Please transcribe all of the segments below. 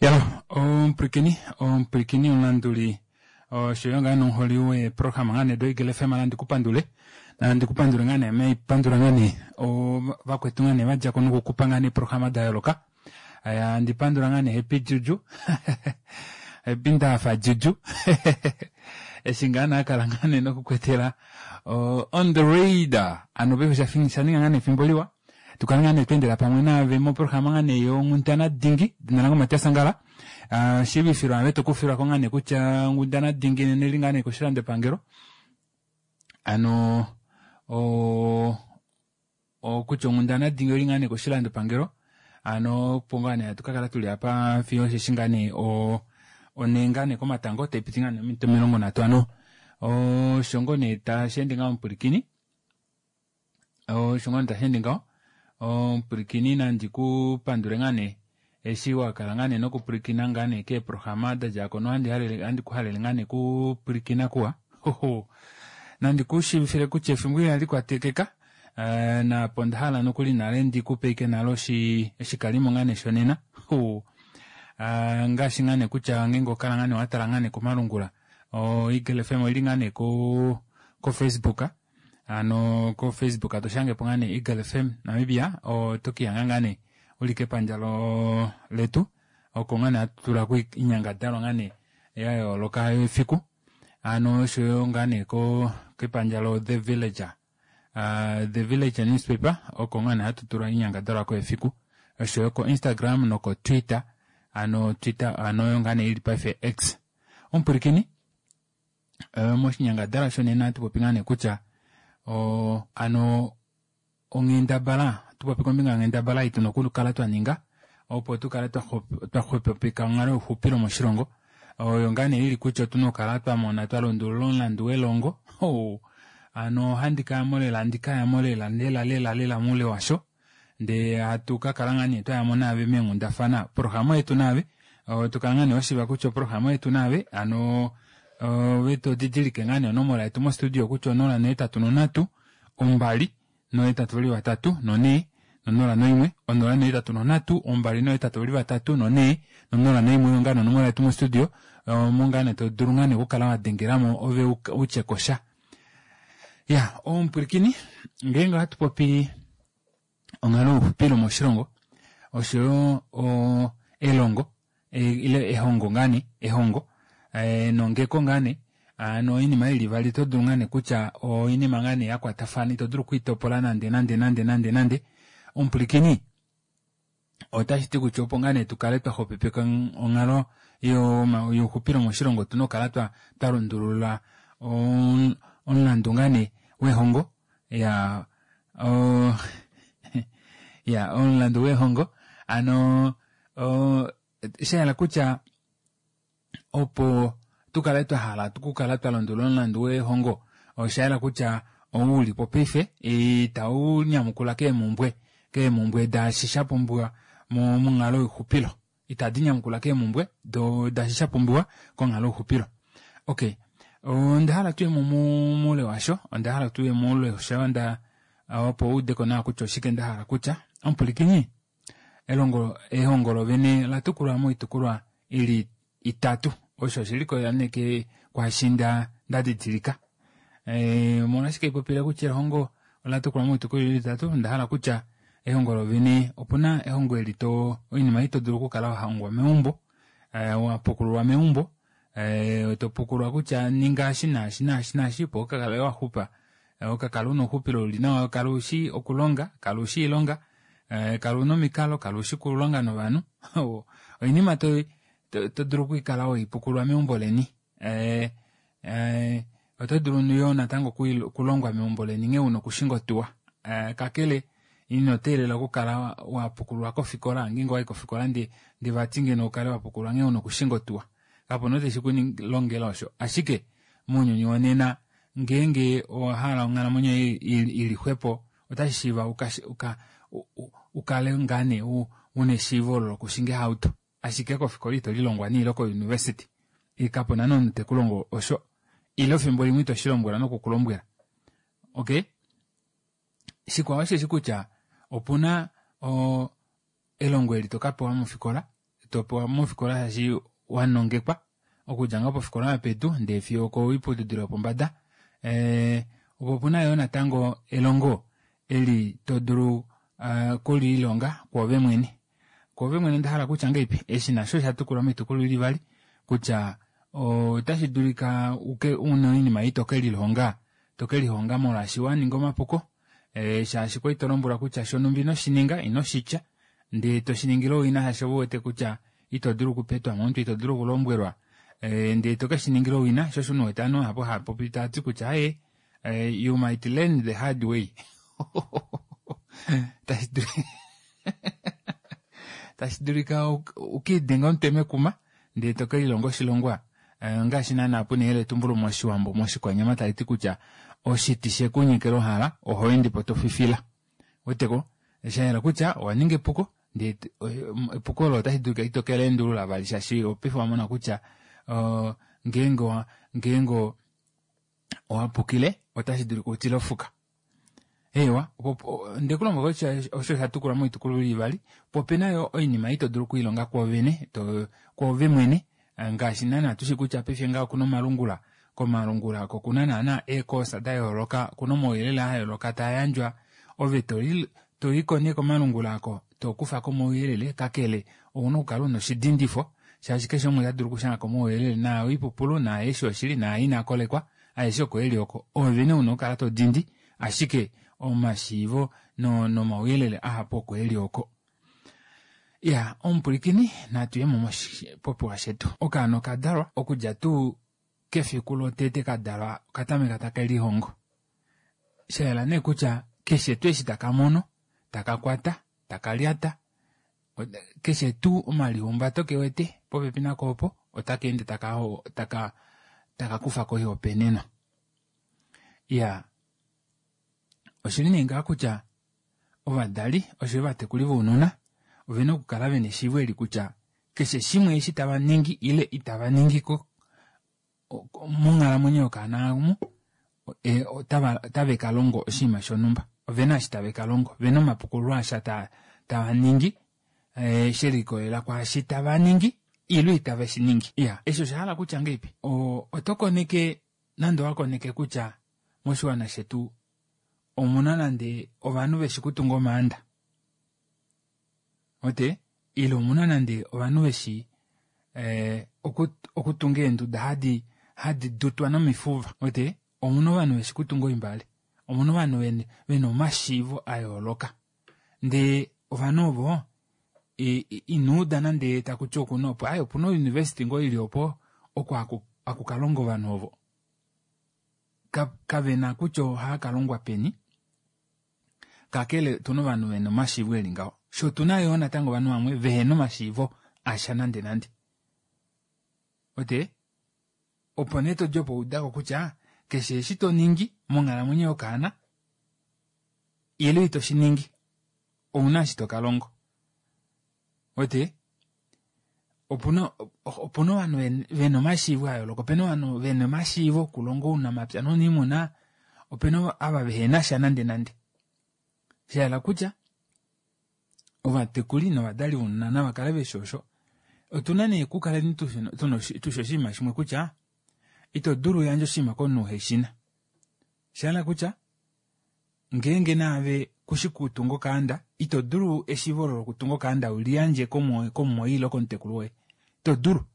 Yalo omupwilikini omupwilikini omulanduli oshoyo ngaa nomuholi weeprograma ngaa nee doEagle FM nandi kupandule nandi kupandule ngaa nee meipandula ngaa nee vakwetu ngaa nee vadjako nokukupa ngaa nee eeprograma dayooloka handi pandula ngaa nee Happy Juju Happy Ndahafa Juju eshi ngaa nee akala ngaa nee nokukwetela on the radar ano paife oshaninga ngaa nee efimbo liwa Tukale ngaa nee tweendela pamwe naave moprograma ngaa nee yonghundana dingi. Edina lange oMatias Angala. Shiivifilwa ave tokufilwako ngaa nee kutya onghundana dingi nena oili ngaa nee koshilandopangelo. Hano kutya onghundana dingi oili ngaa nee koshilandopangelo. Hano opo ngaa nee hatu kakala tuli apa fiyo osheshi ngaa nee onhee ngaa nee komatango taipiti ngaa nee ominute 30 hano osho ngoo nee tasheende ngaho omupwilikini. Osho ngoo nee tashi ende ngaho. Omupwilikini nandi ku pandule ngaa nee eshi wa kala ngaa nee nokupwilikina ngaa nee keeprograma da dja ko nohandi halele handi ku halele ngaa nee kupwilikina kuwa. Hoho. Nandi ku shiivifile kutya efimbo ihali kwatekeka naapo onda hala nokuli nale ndi ku pe ashike nale oshikalimo ngaa nee shonena. Ho. Ngaashi ngaa nee kutya ngeenge oho kala ngaa nee wa tala ngaa nee komalungula oEagle FM oili ngaa nee ko koFacebook. Hano ko Facebook to shange po ngaa nee Eagle FM Namibia oto kihanga ngaa nee uli kepandja letu oko ngaa nee hatu tula ko oinyangadalwa ngaa nee ya yooloka yefiku hano oshoyo ngaa nee ko kepandja lo The Villager The Villager newspaper oko ngaa nee hatu tula oinyangadalwa ko yefiku oshoyo ko Instagram noko Twitter hano Twitter hano oyo ngaa nee ili paife X omupwilikini Moshinyangadhalwa shonena ohatu popi ngaa nee kutya ano onghendabala, ohatu popi kombinga yonghendabala ei tuna okukala twa ninga opo tu kale twa xwepopeka onghalo youxupilo moshilongo oyo ngaa nee ili kutya otuna okukala twa mona twa lundulula omulandu welongo hano ohandi kayamo lela handi kayamo lela lela lela lela moule washo. Ndee hatu ka kala ngaa nee twayamo naave meenghundafana oprograma yetu naave to kala ngaa nee washiiva kutya oprograma yetu naave hano ove to didilike ngaa nee onomola yetu mo studio kutya onola nohetatu nonhatu ombali nohetatu vali vatatu nonhee nonola noimwe onola nohetatu nonhatu ombali nohetatu vali vatatu nonhee nonola noimwe oyo ngaa nee onomola yetu mo studio omo ngaa nee to dulu ngaa nee okukala wadengelamo ove utyekosha Ya, omupwilikini, ngeenge ohatu popi onghalo youxupilo moshilongo oshoyo elongo ile ehongo ngaa nee, ehongo enongeko ngaa nee, hano oinima ili ivali oto dulu ngaa nee kutya oinima ngaa nee ya kwatafana ito dulu okwiitopola nande nande nande nande nande. Omupwilikini, Otashi ti kutya opo ngaa nee tu kale twa xwepopeka onghalo youxupilo moshilongo otuna okukala twa lundulula omulandu ngaa nee wehongo ya ya omulandu wehongo hano sha hala kutya Opo tu kale twa hala okukala twa lundulula omulandu wehongo, osha yela kutya ou u li po paife itau nyamukula keemhumbwe keemhumbwe daashi sha pumbiwa monghalo youxupilo. Itadi nyamukula keemhumbwe daashi sha pumbiwa konghalo youxupilo. Okay, onda hala tuye mo moule washo, onda hala tuye moule washo onda opo u ude ko nawa kutya oshike nda hala kutya. Omupwilikini, Elongo, ehongo lovene ola tukulwa moitukulwa i li itatu. Osho oshe likolelela nee ke kwaashi nda nda didilika. E, omolwashike ipopile kutya ehongo ola tukulwa moitukulwa i li itatu? Onda hala kutya ehongo lovene opu na ehongo eli to oinima ei to dulu okukala wa hongwa meumbo, e, wa pukululwa meumbo, e, to pukululwa kutya ninga eshi naashi naashi naashi opo u ka kale wa xupa Okakala una ouxupilo uli nawa, kala ushi okulonga, kala ushi oilonga, kala una omikalo, kala ushi okulonga novanhu. Oinima to to dulu okukala weipukulula meumbo leni. Oto dulu yoo natango okulongwa meumbo leni nghee una okushinga otuwa. Kakele ino teelela okukala wapukululwa kofikola ngeenge owayi kofikola ndee vati ngeno ukale wapukululwa nghee una okushinga otuwa. Kapuna ou teshi kulongela osho. Ashike mounyuni wonena Ngeenge owa hala onghalamwenyo yoye i li xwepo, otashi shiiva u kale ngaa nee u na eshiivo olo lokushinga ehauto. Ashike kofikola ito lilongwa nee ile kouniversity kapu na nee omunhu te ku longo osho. Ile efimbo limwe ito shi lombwelwa noku ku lombwela. Okay? Shikwao osheshi kutya opu na elongo eli to ka pewa mofikola. topewa mofikola shaashi wanongekwa okudja ngoo pofikola yopedu ndee fiyo okoiputudilo yopombada. Opo opuna yoo natango elongo eli todulu okuliilonga kwoove mwene. Kwoove mwene ondahala kutya ngahelipi? Eshi nasho osha tukulwa moitukulwa ili ivali kutya otashi dulika una oinima ei tokelihonga, tokelihonga molwaashi waninga omapuko shaashi kwali tolombwelwa kutya shonumba inoshininga inoshitya ndee toshiningile owina shaashi ove uwete kutya ito dulu okupetwa momutwe ito dulu okulombwelwa ndee tokeshiningila owina sho osho uwete ovanhu vahapu hava popi tavati kutya aaye you might learn the hard way. Tashi dulika ukiidenge omutwe mekuma ndee tokelilonga oshilongwa ngaashi naana puna eyeletumbulo moshiwambo moshikwanyama taliti kutya oshiti shekunyekela ohala ohoendepo tofifila. Ouweteko? Shayela kutya owaninga epuko ndee epuko olo otashi dulika ito keleendulula vali shaashi paife owamona kutya ngeenge ngeenge owapukile otashi dulika utile ofuka. Eewa, ondekulombwela kutya osho osha tukulwa moitukulwa ili ivali, po opena yo oinima ei todulu okwiilonga kwoovene, kwoove mwene ngaashi naana tushi kutya paife ngaha okuna omalungula, komalungula oko okuna naana eekoosa dayooloka, okuna omauyelele ayooloka taa yandjwa, ove toyiko nee komalungula oko tokufako omauyelele kakele ouna okukala una oshidindifo shaashi keshe umwe ota dulu okushangako omauyelele naa oipupulu naa eshi oshili naa inaa kolekwa aeshe oko eli oko ove nee una okukala todindi ashike omashiivo nomauyelele ahapu oko eli oko. Ya omupwilikini natuyemo moshipopiwa shetu. Okaana okadalwa okudja tuu kefiku lotete kadalwa okatameka take lihongo. Shayela nee kutya keshe tuu eshi taka mono, taka kwata, taka lyata, keshe tuu omalihumbato kewete popepi nako opo otaka ende taka taka taka kufako oihopaenenwa. Iyaa oshili nee ngaha kutya ovadali oshoyo ovatekuli vounona ovena okukala vena eshiivo eli kutya keshe shimwe eshi tava ningi ile itava ningi monghalamwenyo yokaana omu otave ka longo oshinima shonhumba. Ovena eshi tave ka longo, ovena omapukululo asha tava ningi shelikolelela kwaashi tava ningi ile itave shi ningi. Iya, eshi osha hala kutya ngahelipi? Oto koneke nande owa koneke kutya moshiwana shetu omuna nande ovanhu veshi kutunga omaanda ote ile omuna nande ovanhu veshi okutunga eenduda hadi hadi dutwa nomifuva ote omuna ovanhu veshi kutunga oimbale omuna ovanhu vena omashiivo a yooloka ndee ovanhu ovo ino uda nande takuti okuna opo aaye opuna ouniversity ngoo ili opo oko haku kalonga ovanhu ovo kavena kutya ohaa kalongwa peni kakele otuna ovanhu vena omashiivo eli ngaho sho otuna yoo natango ovanhu vamwe vehena omashiivo asha nande nande ote opo nee todi opo udako kutya keshe eshi toningi monghalamwenyo yokaana ile ito shiningi ouna eshi tokalongo ote opuna opuna ovanhu vena omashiivo ayooloka opena ovanhu vena omashiivo okulonga ounamapya nouniimuna opena ava vehena sha nande nande shahala kutya ovatekuli novadali vounona nava kale veshi osho otuna nee okukala tushi oshinima shimwe kutya ito dulu uyandje oshinima komunhu uheshina shahala kutya ngeenge naave kushi kutunga okaanda ito dulu eshiivo olo lokutunga okaanda uliyandje komumwoye ile komutekulu woye ito dulu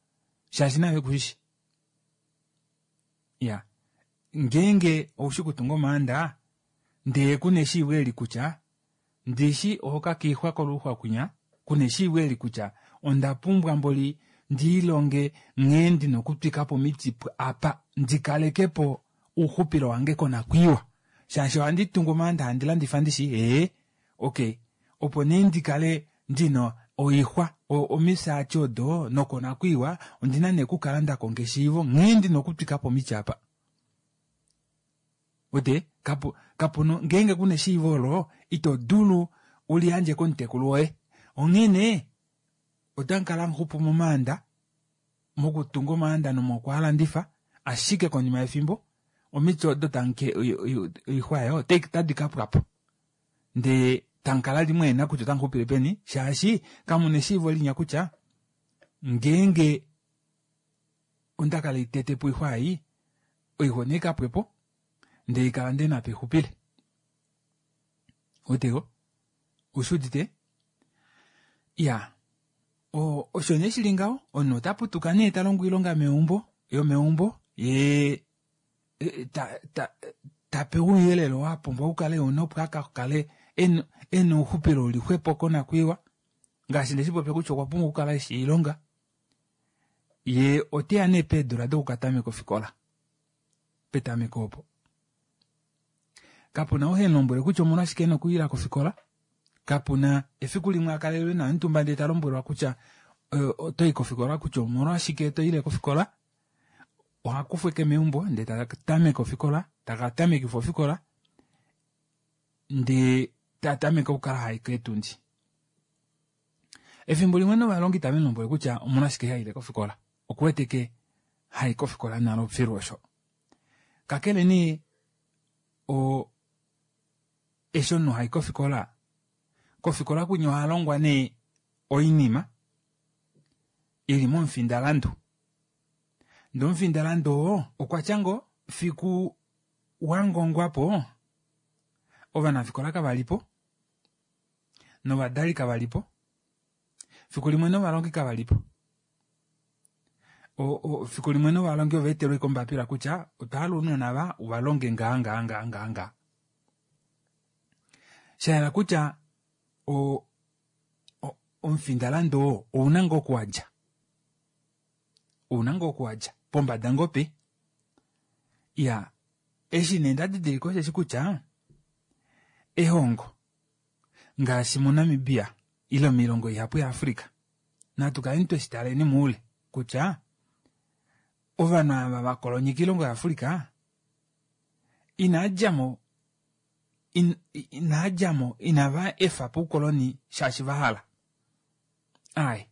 shaashi naave kushishi ya ngeenge oushi kutunga omaanda ndee kuna eshiivo eli kutya ndishi ohoka kiixwa koluxwa kwinya kuna eshiivo eli kutya onda pumbwa mboli ndiilonge nghee ndina okutwikapo omiti apa ndikalekepo ouxupilo wange konakwiiwa shaashi ohandi tungu omaanda handi landifa ndishi ee okay opo nee ndikale ndina oixwa omisaati odo nokonakwiiwa ondina nee okukala ndakonga eshiivo nghee ndina okutwikapo omiti apa wete kapu kapuna ngeenge kuna eshiivo olo ito dulu uliyandje komutekulu woye onghene otamukala hamuxupu momaanda mokutunga omaanda nomokwalandifa ashike konima yefimbo omiti odo tamuke oixwa oyo otadi kapwapo ndee tamukala limweena kutya otamuxupile peni shaashi kamuna eshiivo linya kutya. Ngeenge onda kala itete po oixwa ei, oixwa onai ka pwe po, ndee kala ndina apa ixupile. Ouweteko? Oushi udite? Iyaa, osho nee shili ngaho, omunhu ota putuka nee talongo oilonga meumbo yomeumbo yee tapewa ouyelele oo apumbwa okukala euna opo akakale ena ouxupilo uli xwepo konakwiiwa ngaashi ndeshipopya kutya okwa pumbwa okukala eshi oilonga yee oteya nee peedula dokukatameka ofikola petameko opo kapuna ou hemulombwele kutya omolwashike ena okuyila kofikola kapuna efiku limwe akalelwe naye omutumba ndee talombwelwa kutya otoyi kofikola kutya omolwashike toile kofikola ohakufwa ashike meumbo ndee tatameke ofikola takatamekifwa ofikola ndee tatameke okukala hayi keetundi. Efimbo limwe novalongi tave mulombwele kutya omolwashike haile kofikola okuwete ashike hayi kofikola nale filu osho. Kakele nee eshi omunhu hayi kofikola, kofikola kwinya ohalongwa nee oinima ili momufindalandu ndee omufindalandu oo okwatya ngoo fiku wangongwapo ovanafikola kavalipo novadali kavalipo fiku limwe novalongi kavalipo fiku limwe novalongi ovaetelwa ashike ombapila kutya otwahala ounona ava uvalonge ngaha ngaha ngaha ngaha ngaha. Shayela kutya omufindalandu oo ouna ngoo oku wadja, ouna ngoo oku wadja pombada ngoo pe. Iyaa eshi nee ndadidilika osheshi kutya ehongo ngaashi mo Namibia ile moilongo ihapu ya Africa natu kaleni tweshitaleni moule kutya ovanhu ava vakolonyeka oilongo ya Africa inaadjamo inaadjamo inava efapo oukoloni shaashi vahala aaye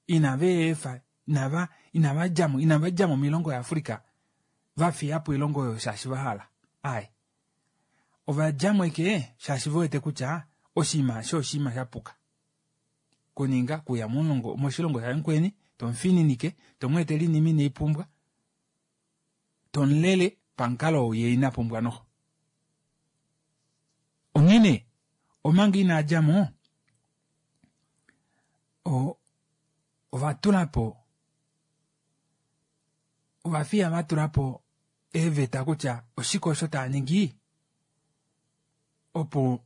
inaveefa inava inavadjamo inavadjamo moilongo ya Africa vafiyapo oilongo oyo shaashi vahala aaye ovadjamo ashike shaashi vewete kutya oshinima eshi oshinima shapuka kuninga kuya moshilongo shamukweni tomufininike tomweetele oinima ineipumbwa tomulele pamukalo ou yee ina pumbwa noxo. Onghene omanga inadjamo ovatulapo ovafiya vatulapo eeveta kutya oshike osho taaningi opo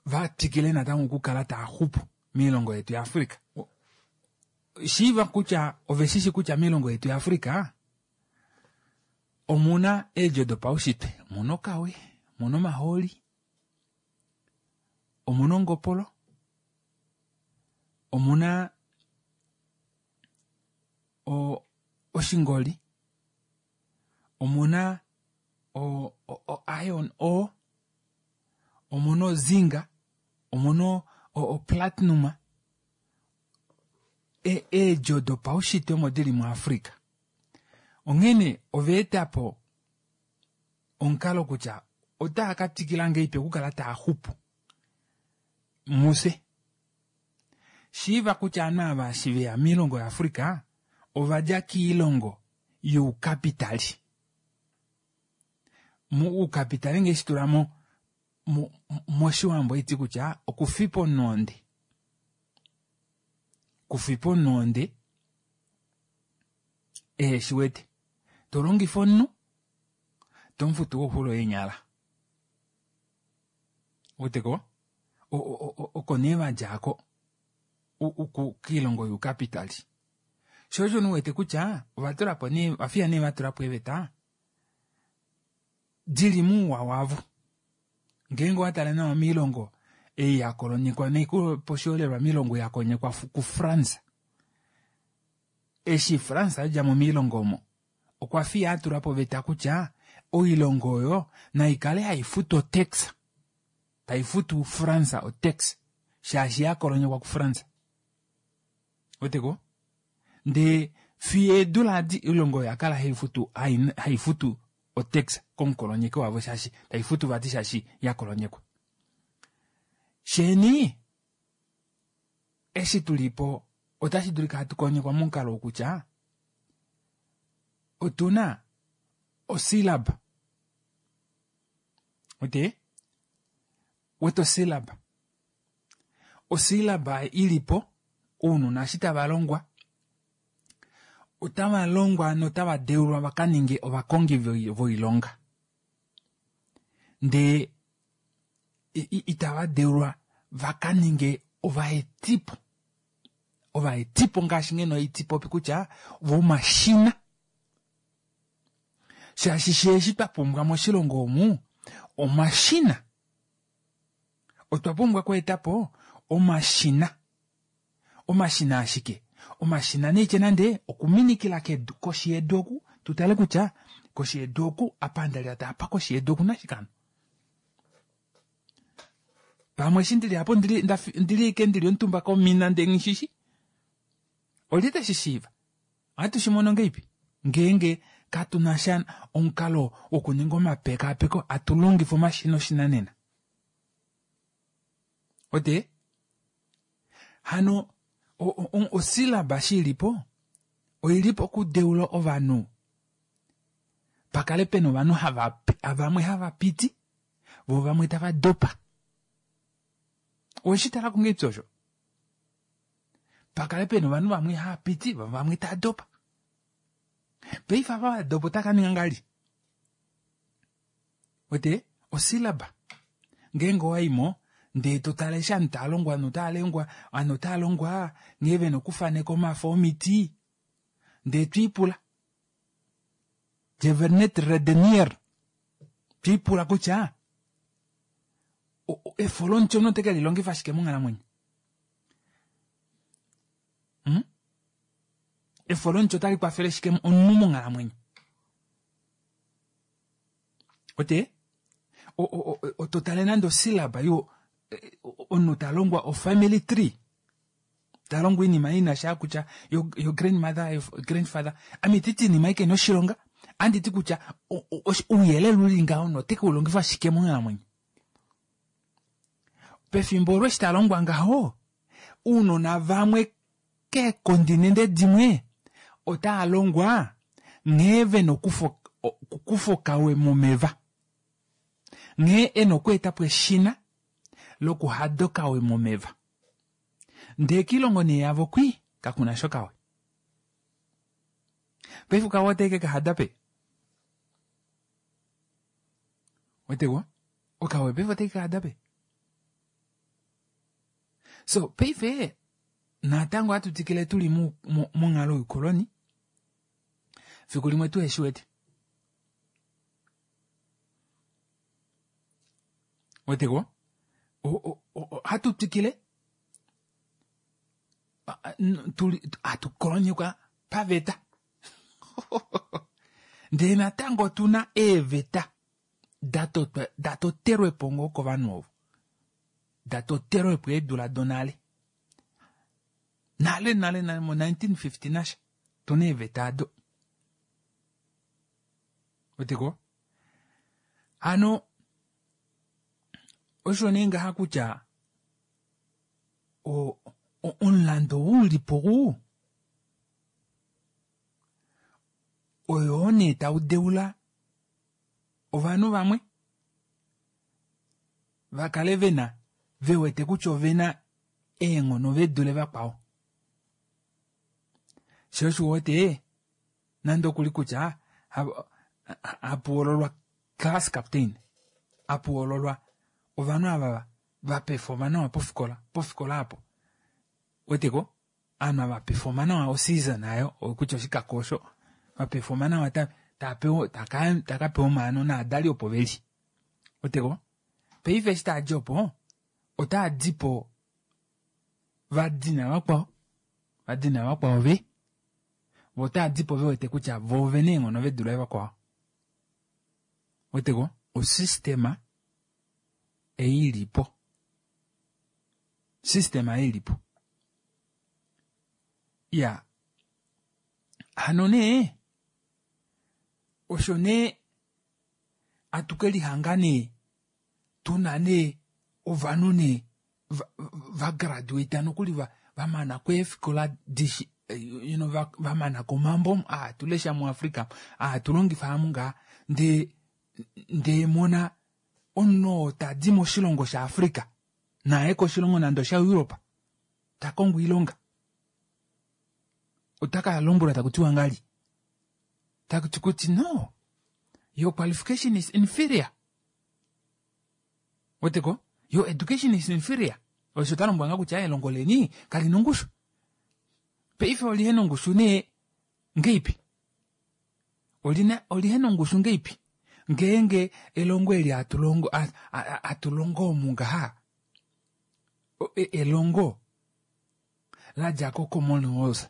vatwikile natango okukala taaxupu moilongo yetu ya Africa. Shiiva kutya oveshishi kutya moilongo yetu ya Africa omuna eedjo dopaushitwe, omuna okawe, omuna omahooli, omuna ongopolo, omuna oshingoli, omuna o iron ore, omuna ozinc, omuna oplatinum, eedjo dopaushitwe omo dili mu Africa. Onghene ovaetapo omukalo kutya otaa katwikila ngahelipi okukala taaxupu mufye. Shiiva kutya ovanhu ava eshi veya moilongo ya Africa ovadja koilongo youkapitali. Oukapitali ngee shitula moshiwambo ohaiti kutya okufipa omunhu ohonde. Okufipa omunhu ohonde eheshiwete. Tolongifa omunhu tomufutu koxulo yeenyala. Ouweteko? Oko nee vadja aako koilongo youkapitali. Shoo osho nee uwete kutya ovatulapo nee ovafiya nee vatulapo eeveta dili mouwa wavo. Ngeenge owatale nawa moilongo ei yakolonyekwa naikulepo oshiholelwa moilongo yakolonyekwa ku France. Eshi France adjamo moilongo omo okwa fiya atulapo oveta kutya oilongo oyo naikale haifutu otax taifutu France otax shaashi yakolonyekwa ku France. Ouweteko? Ndee fiyo eedula adi oilongo oyo oyakala haifutu haifutu otax komukolonyeki wavo shaashi taifutu vati shaashi yakolonyekwa. Sheeni eshi tulipo. Otashi dulika hatu konyekwa momukalo wokutya otu na osilaba. Wete? Wete osilaba. Osilaba i li po, ounona eshi tava longwa, otava longwa notava deulwa va ka ninge ovakongi voilonga. Ndee itava deulwa va ka ninge ovaetipo. Ovaetipo ngaashi ngeno itipopi kutya vomashina. Shaashi sheeshi twa pumbwa moshilongo omu omashina. Otwa pumbwa okweeta po omashina. Omashina ashike? Omashina neitye nande okuminikila kedu, koshi yedu oku, tu tale kutya koshi yedu oku, apa nda lyata apa koshi yedu oku na shike hano? Pamwe eshi ndili apo ndili, ndili ike ndili omutumba komina ndee nghishishi. Olye te shi shiiva? Ohatu shi mono ngeipi ngeenge katu na sha omukalo wokuninga omapekaapeko atu longifa omashina oshinanena? Ote hano osilaba shi ili po oi li po okudeula ovanhu pa kale pe na ovanhu hava vamwe hava piti vo vamwe tava dopa. Owe shi tala ko ngeipi osho? Pa kale pe na ovanhu vamwe hava piti vo vamwe tava dopa. Paife ava va dopa otava ka ninga ngahelipi? Wete osilaba ngeenge owa i mo ndee to tale eshi ovanhu tava longwa ovanhu otava longwa ovanhu otava longwa nghee vena okufaneka omafo omiti ndee twiipula je vernet redeneer twiipula kutya efo lomuti omunhu ote ke lilongifa shike monghalamwenyo hmm? Efo lomuti otali kwafele shike omunhu monghalamwenyo Ote oto tale nande osilaba yo omunhu ta longwa ofamily tree ta longwa oinima ina sha kutya your grandmother your grandfather ame ititi iinima ike noshilonga andi ti kutya ouyelele uli ngaho note ke u longifa shike monghalamwenyo pefimbo olo eshi ta longwa ngaho ounona vamwe Keekondinende dimwe otaa longwa nghee ve na okukufa okawe momeva, nghee e na okweeta po eshina lokuhada okawe momeva. Ndee kiilongo nee yavo kwii kaku na sha okawe. Paife okawe otae ke ka hada peni? Weteko? Okawe paife otae ke ka hada peni? So paife natango ohatu twikile tu li monghalo youkoloni fiku limwe tu heshi wete. Weteko? Ohatu twikile hatu kolonyekwa paveta ndee natango otu na eeveta da totelwe po ngoo kovanhu ovo da totelwe po eedula donale nale nale nale mo 1950 nasha tuna eeveta ado weteko hano osho nee ngaha kutya omulandu ou li po ou oyoo nee tau deula ovanhu vamwe va kale ve na ve wete kutya ove na eenghono ve dule vakwao. Sho osho u wete nande okuli kutya hapu hoololwa class captain, hapu hoololwa ovanhu ava va pefoma nawa pofikola, pofikola apo. Weteko? Ovanhu ava va pefoma nawa oseason ayo kutya oshikako osho va pefoma nawa ta ta pewa ta ka pewa omaano naadali opo veli. Weteko? Paife eshi taa di opo otaa di po va dina vakwao, va dina vakwao ve, vo otaa di po ve wete kutya vo ovena eenghono ve dule vakwao. Weteko? Osystema ei ili po. Systema ei ili po. Iya. Hano nee, osho nee atu ke lihanga nee tu na nee ovanhu nee va graduate nokuli va vamana kweefikola dishi you know, vamana komambo aa tulesha muAfrica aa tulongifa amu ngaa ndee ndee mona omunhu oo tadi moshilongo shaAfrica naye koshilongo nande oshaEurope ta kongo oilonga ota ka lombwelwa taku tiwa ngali taku kuti no your qualification is inferior weteko your education is inferior osho ta lombwela nga kutya elongo leni kali na ongushu paife olihena ongushu nee ngeipi olina olihena ongushu ngeipi ngeenge elongo eli atulongo atulongo omu ngaha elongo ladja ko Commonwealth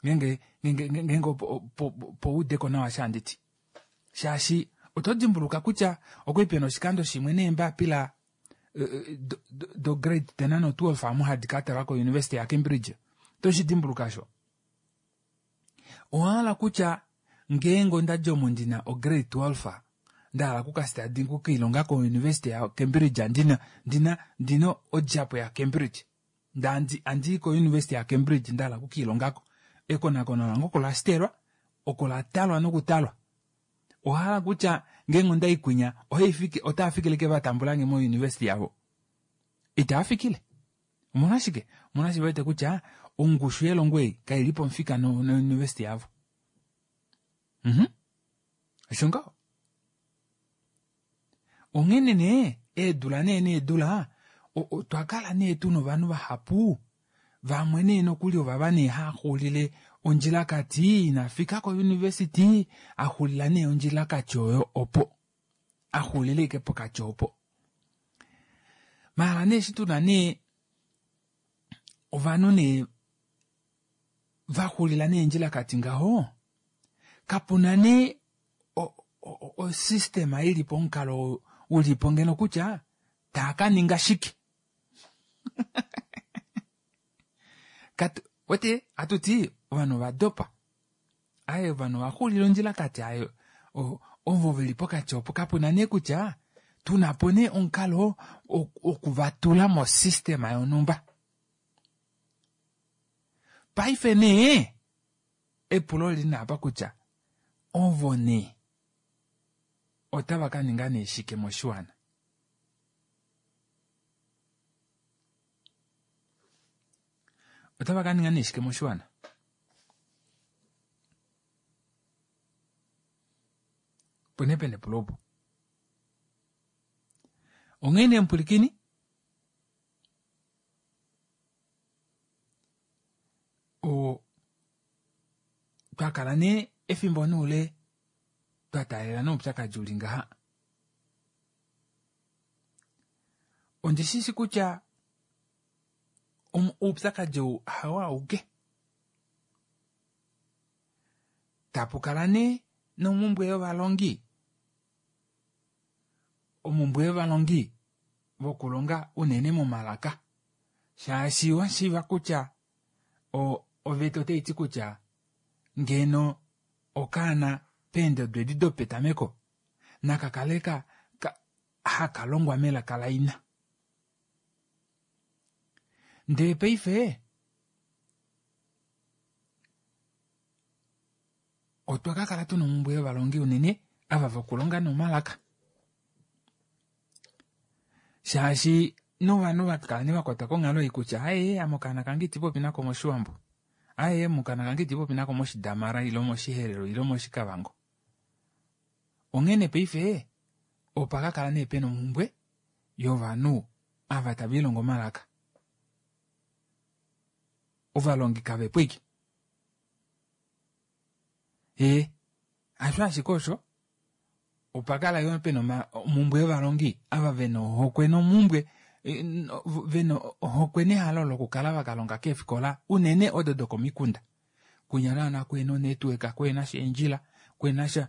ngeenge ngeenge opo udeko nawa eshi handi ti shaashi oto dimbuluka kutya okwali pena oshikando shimwe neembapila do grade 10 no 12 amu hadi ka talwa ko University ya Cambridge oto shi dimbuluka osho owahala kutya ngeenge ondadja omo ndina o grade 12 ndahala okukastadi okukailonga ko University ya Cambridge ndina ndina ndina odjapo ya Cambridge ndandi andii ko University ya Cambridge ndahala okukiilongako ekonakono lange oko la stelwa oko la talwa nokutalwa ohala kutya ngeenge ondai kwinya ohaifike otaa fikile ke vatambulange mo university yavo itaa fikile omolwashike omolwashike wete kutya ongushu yelongo ei kaili pomufika no, no university yavo mhm osho ngaho Onghene nee, eedula nee needula, otwa kala nee tu na ovanhu vahapu, vamwe nee nokuli ovava nee haaxulile ondjilakati, ina fika kouniversity, axulila nee ondjilakati oyo opo. Axulila ashike pokati opo. Maala nee eshi tuna nee ovanhu nee vaxulila nee endjilakati ngaho, kapuna nee osystema i li po omukalo u li po ngeno kutya taa ka ninga shike katu wete hatu ti ovanhu ova dopa aye ovanhu ova xulila ondjilakati aye ovo ve li pokati opo kapu na nee kutya tuna po nee omukalo oku va tula mosystema yonhumba paife nee Epulo oli li apa kutya, ovo nee otava ka ninga nee shike moshiwana? Otava ka ninga nee shike moshiwana? Opo nee pena epulo opo. Onghee nee mupwilikini, O Twa kala nee efimbo noule twa taalela noupyakadi uli ngaha. Ondi shi shi kutya oupyakadi ou hao auke. Tapu kala nee nomumbwe yovalongi, omumbwe yovalongi vokulonga unene momalaka shaashi wa shiiva kutya oveta otai ti kutya ngeno okaana peendodo edi dopetameko naka kale ka, ka haka longwa melaka laina. Ndee paife otwa ka kala tuna omhumbwe yovalongi unene ava vokulonga nomalaka. Shaashi novanhu va kala ne vakwatwa konghalo ei kutya aye ame okaana kange iti popi nako moshiwambo aye ame okaana kange iti popi nako moshidamara ile moshiherero ile moshikavango onghene paife opa ka kala nee pena omhumbwe yovanhu ava tava ilongo omalaka ovalongi kavepo ike ee hasho ashike osho Opa kala yo pena omhumbwe yovalongi ava vena ohokwe nomhumbwe vena ohokwe nehalo lokukala va ka longa keefikola unene odo dokomikunda. Kwinya naana kuhena onetwork, kuhena sha eendjila, kuhena sha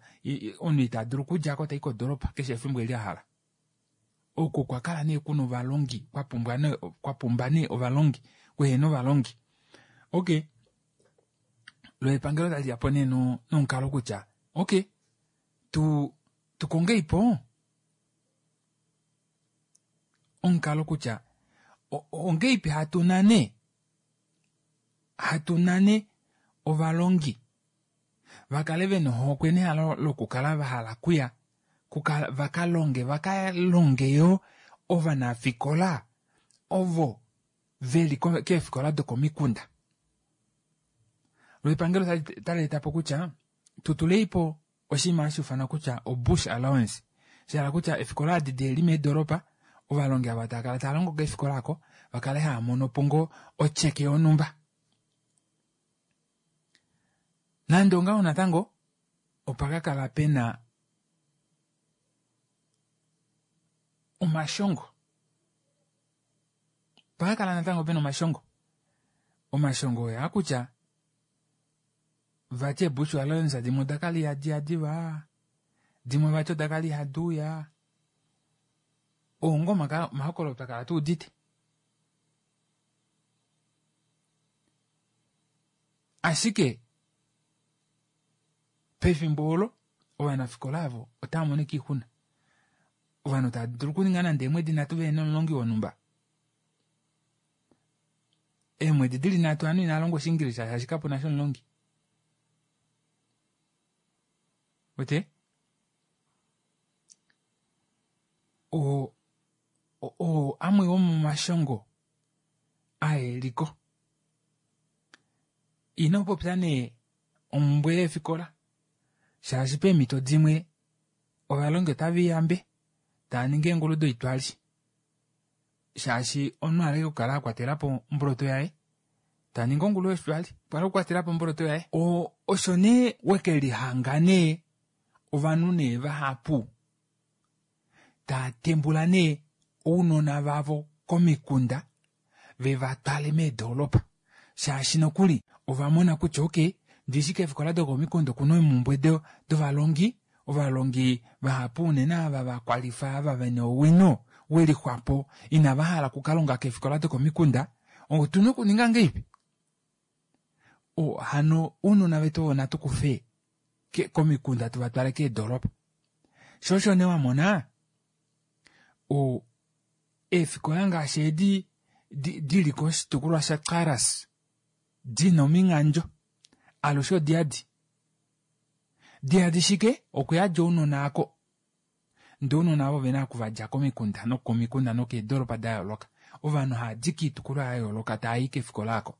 omunhu ita dulu okudja ko tai kodoolopa keshe efimbo eli a hala. Oko kwa kala nee kuna ovalongi kwa pumbwa nee kwa pumba nee ovalongi kuhena ovalongi. Okay, lo epangelo tali ya po nee nomukalo kutya okay tu tu kongei po omukalo kutya ongeipi hatu nane. Hatu nane ovalongi va kale vena ohokwe nehalo lokukala va hala okuya vaka longe vaka longe yoo ovanafikola ovo veli keefikola dokomikunda. Lo epangelo otali etapo kutya tutuleipo oshinima hashi ufanwa kutya obush allowance, shahala kutya eefikola edi dili meedoropa ovalongi ava tava kala tava longo keefikola aako vakale hava monopo ngoo otyeke yonhumba. Nande ongaho natango opa kakala pena omashongo, opa kakala natango pena omashongo. Omashongo oyaa kutya vati eebush allowance dimwe odakala ihadiya diva, dimwe vati odakala ihaduuya, oo ngoo omahokololo twakala tuudite. Ashike pefimbo olo ovanafikola avo otava mono ashike oixuna. Ovanhu tava dulu okuninga nande eemwedi nhatu vehena omulongi wonhumba. Eemwedi dili nhatu ovanhu inava longwa Oshiingilisha shaashi kapuna sha omulongi. Wete? Oo oo amwe womomashongo aeliko. Ino popya nee omumbwe yeefikola shaashi peemhito dimwe ovalongi otave liyambe tava ningi eengulu doitwali shaashi omunhu ohaleke okukala akwatelapo omboloto yaye taningi ongulu yoshitwali opo ale okukwatelapo omboloto yaye. Osho nee wekelihanga nee ovanhu nee vahapu tava tembula nee ounona vavo komikunda veva twale meedoropa shaashi nokuli ovamona kutya okey ndishi keefikola dokomikunda okuna eemumbwe dovalongi, ovalongi vahapu unene ava vakwalifa ava vena owino welixwapo inava hala okukalonga keefikola dokomikunda otuna okuninga ngahelipi? Hano ounona vetu ovo natu kufe komikunda tuva twale keedoropa. Shoo osho nee wamona eefikola ngaashi edi dili koshitukulwa shaKaras dina ominghandjo alushe odiyadi. Diyadi shike? Okuyadja ounona aako ndee ounona avo ovena okuvadja komikunda nokomikunda nokeedoropa dayooloka. Ovanhu haadi koitukulwa yayooloka taayi kefikola aako.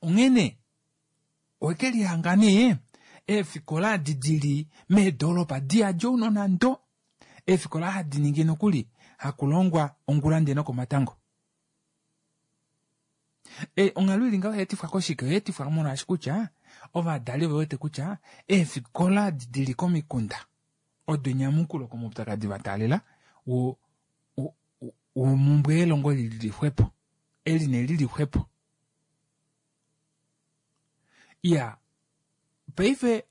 Onghene owekelihanga nee eefikola edi dili meedoropa diyadi ounona ndo, eefikola hadi ningi nokuli hakulongwa ongula ndee nokomatango. Onghalo ili ngaho oyaetifwa koshike? Oyaetifwa molwaashi kutya ovadali ove wete kutya eefikola edi dili komikunda odo enyamukulo komaupyakadi vataalela womumbwe yelongo lili xwepo, eli nee lili xwepo. Iyaa, paife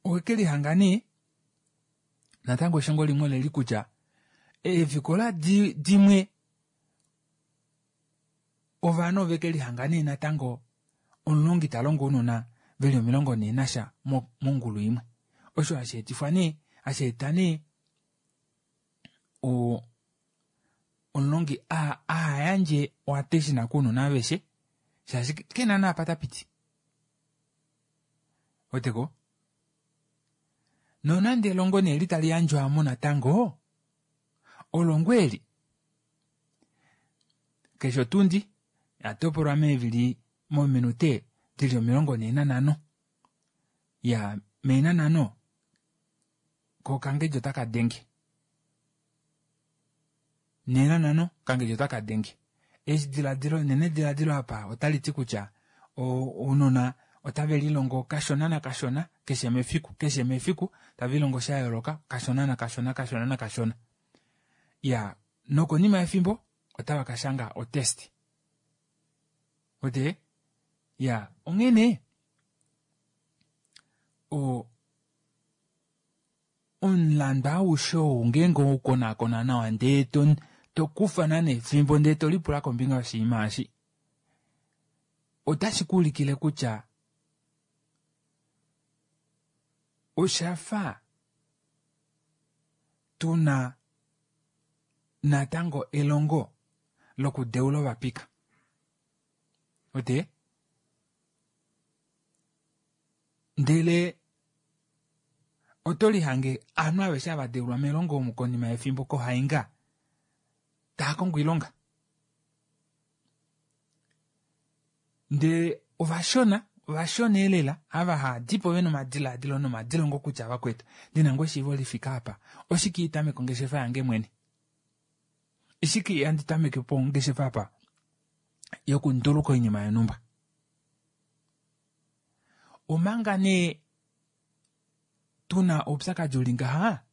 owekelihanga nee natango eshongo limwe oleli kutya eefikola dimwe ovanhu oveke lihanga nee natango omulongi talongo ounona veli 40 nasha mongulu imwe. Osho hashi etifwa nee, hashi eta nee omulongi ahayandje oattention kounona aveshe shaashi kena naapa tapiti. Weteko? Nonande elongo nee eli tali yandjwa natango, olongo eli keshe otundi yatopolwa meevili mominute dili 45. Ya meena nhano ko okangedjo otaka denge. 45 okangedjo otaka denge. Eshi diladilo nene diladilo apa otali ti kutya ounona otave lilongo kashona nakashona keshe mefiku keshe mefiku tave lilongo sha yooloka kashona nakashona kashona nakashona. Ya nokonima yefimbo otava kashanga otest. Wete? Ya onghene omulandu aushe ou ngeenge owaukonakona nawa ndee tokufa nana efimbo ndee tolipula kombinga yoshinima eshi otashi kuulikile kutya oshafa tuna. natango elongo lokudeula ovapika. Wete? Ndele oto lihange ovanhu aveshe hava deulwa melongo omu konima yefimbo kohainga taa kongo oilonga. Ndele ovashona, ovashona elela ava haadipo vena omadilaadilo nomadilongo kutya vakwetu ndina ngoo eshiivo lifike apa, oshike itameke ongeshefa yange mwene? Oshike ihandi tameke po ongeshefa apa yokunduluka oinima yonhumba? Omanga nee tuna oupyakadi uli ngaha,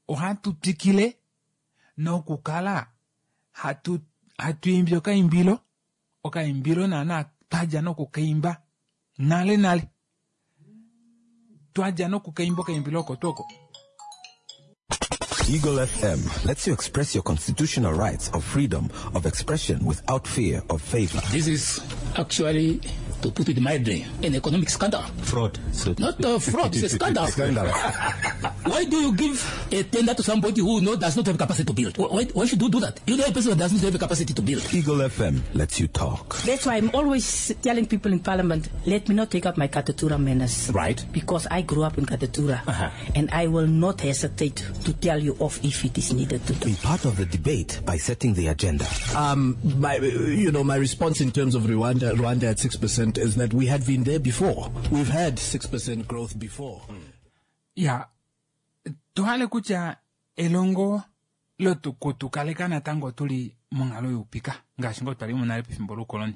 ohatu twikile nokukala hatu hatu imbi okaimbilo, okaimbilo naana twadja nokukaimba nale nale. Twadja nokukaimba okaimbilo oko tuu oko. Eagle FM lets you express your constitutional rights of freedom of expression without fear of favor. This is actually, to put it mildly, an economic scandal. Fraud. So Not a fraud, it's a scandal. Scandal. Why do you give a tender to somebody who does not have capacity to build? Why should you do that? You know a person that does not have capacity to build. Eagle FM lets you talk. That's why I'm always telling people in Parliament, let me not take up my Katutura manners. Right. Because I grew up in Katutura. And I will not hesitate to tell you off if it is needed to do. Be part of the debate by setting the agenda. My response in terms of Rwanda at 6% is that we had been there before. We've had 6% growth before. Ya, tuhale kutya elongo lotukutukaleka natango tuli monghalo youpika ngaashi ngoo twali monale pefimbo loukoloni.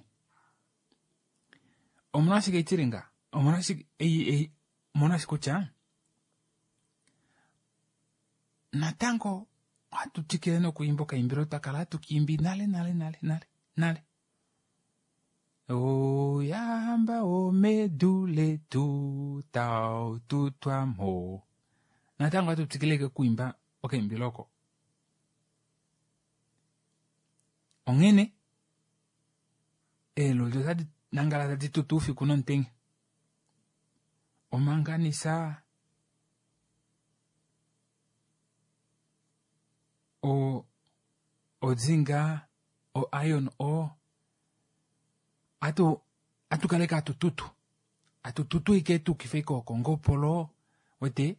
Omolwashike itili nga? Omolwashike ei, ei, omolwashike kutya natango ohatu twikile nokuimba okaimbilo twa kala hatu kiimbi nale, nale, nale, nale, nale. Oyamba omedu letu tau tutwa mo. Natango ohatu twikile okuimba okaimbilo oko. Onghene eeloli otadi nangala tadi tutu oufiku nomutenya. Omanganisa ozinga, o iron ore, atu kaleke atu tutu. Atu tutu ike tukife ike okongopolo, wete,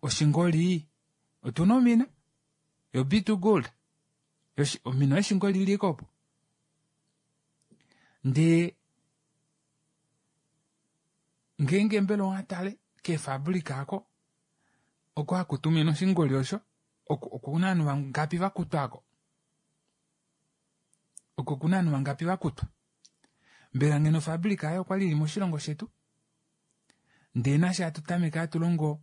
oshingoli, otuna omina, yo B2 gold. Omina yoshingoli ili ike opo. Ndee, ngeenge mbela owatale keefabrika ako, oko hakutumina oshingoli osho, okuna ovanhu vangapi vakutwa ako? Oko kuna ovanhu vangapi vakutwa? Mbela ngeno ofabrika ayo okwali ili moshilongo shetu? Ndee nashe hatu tameke hatu longo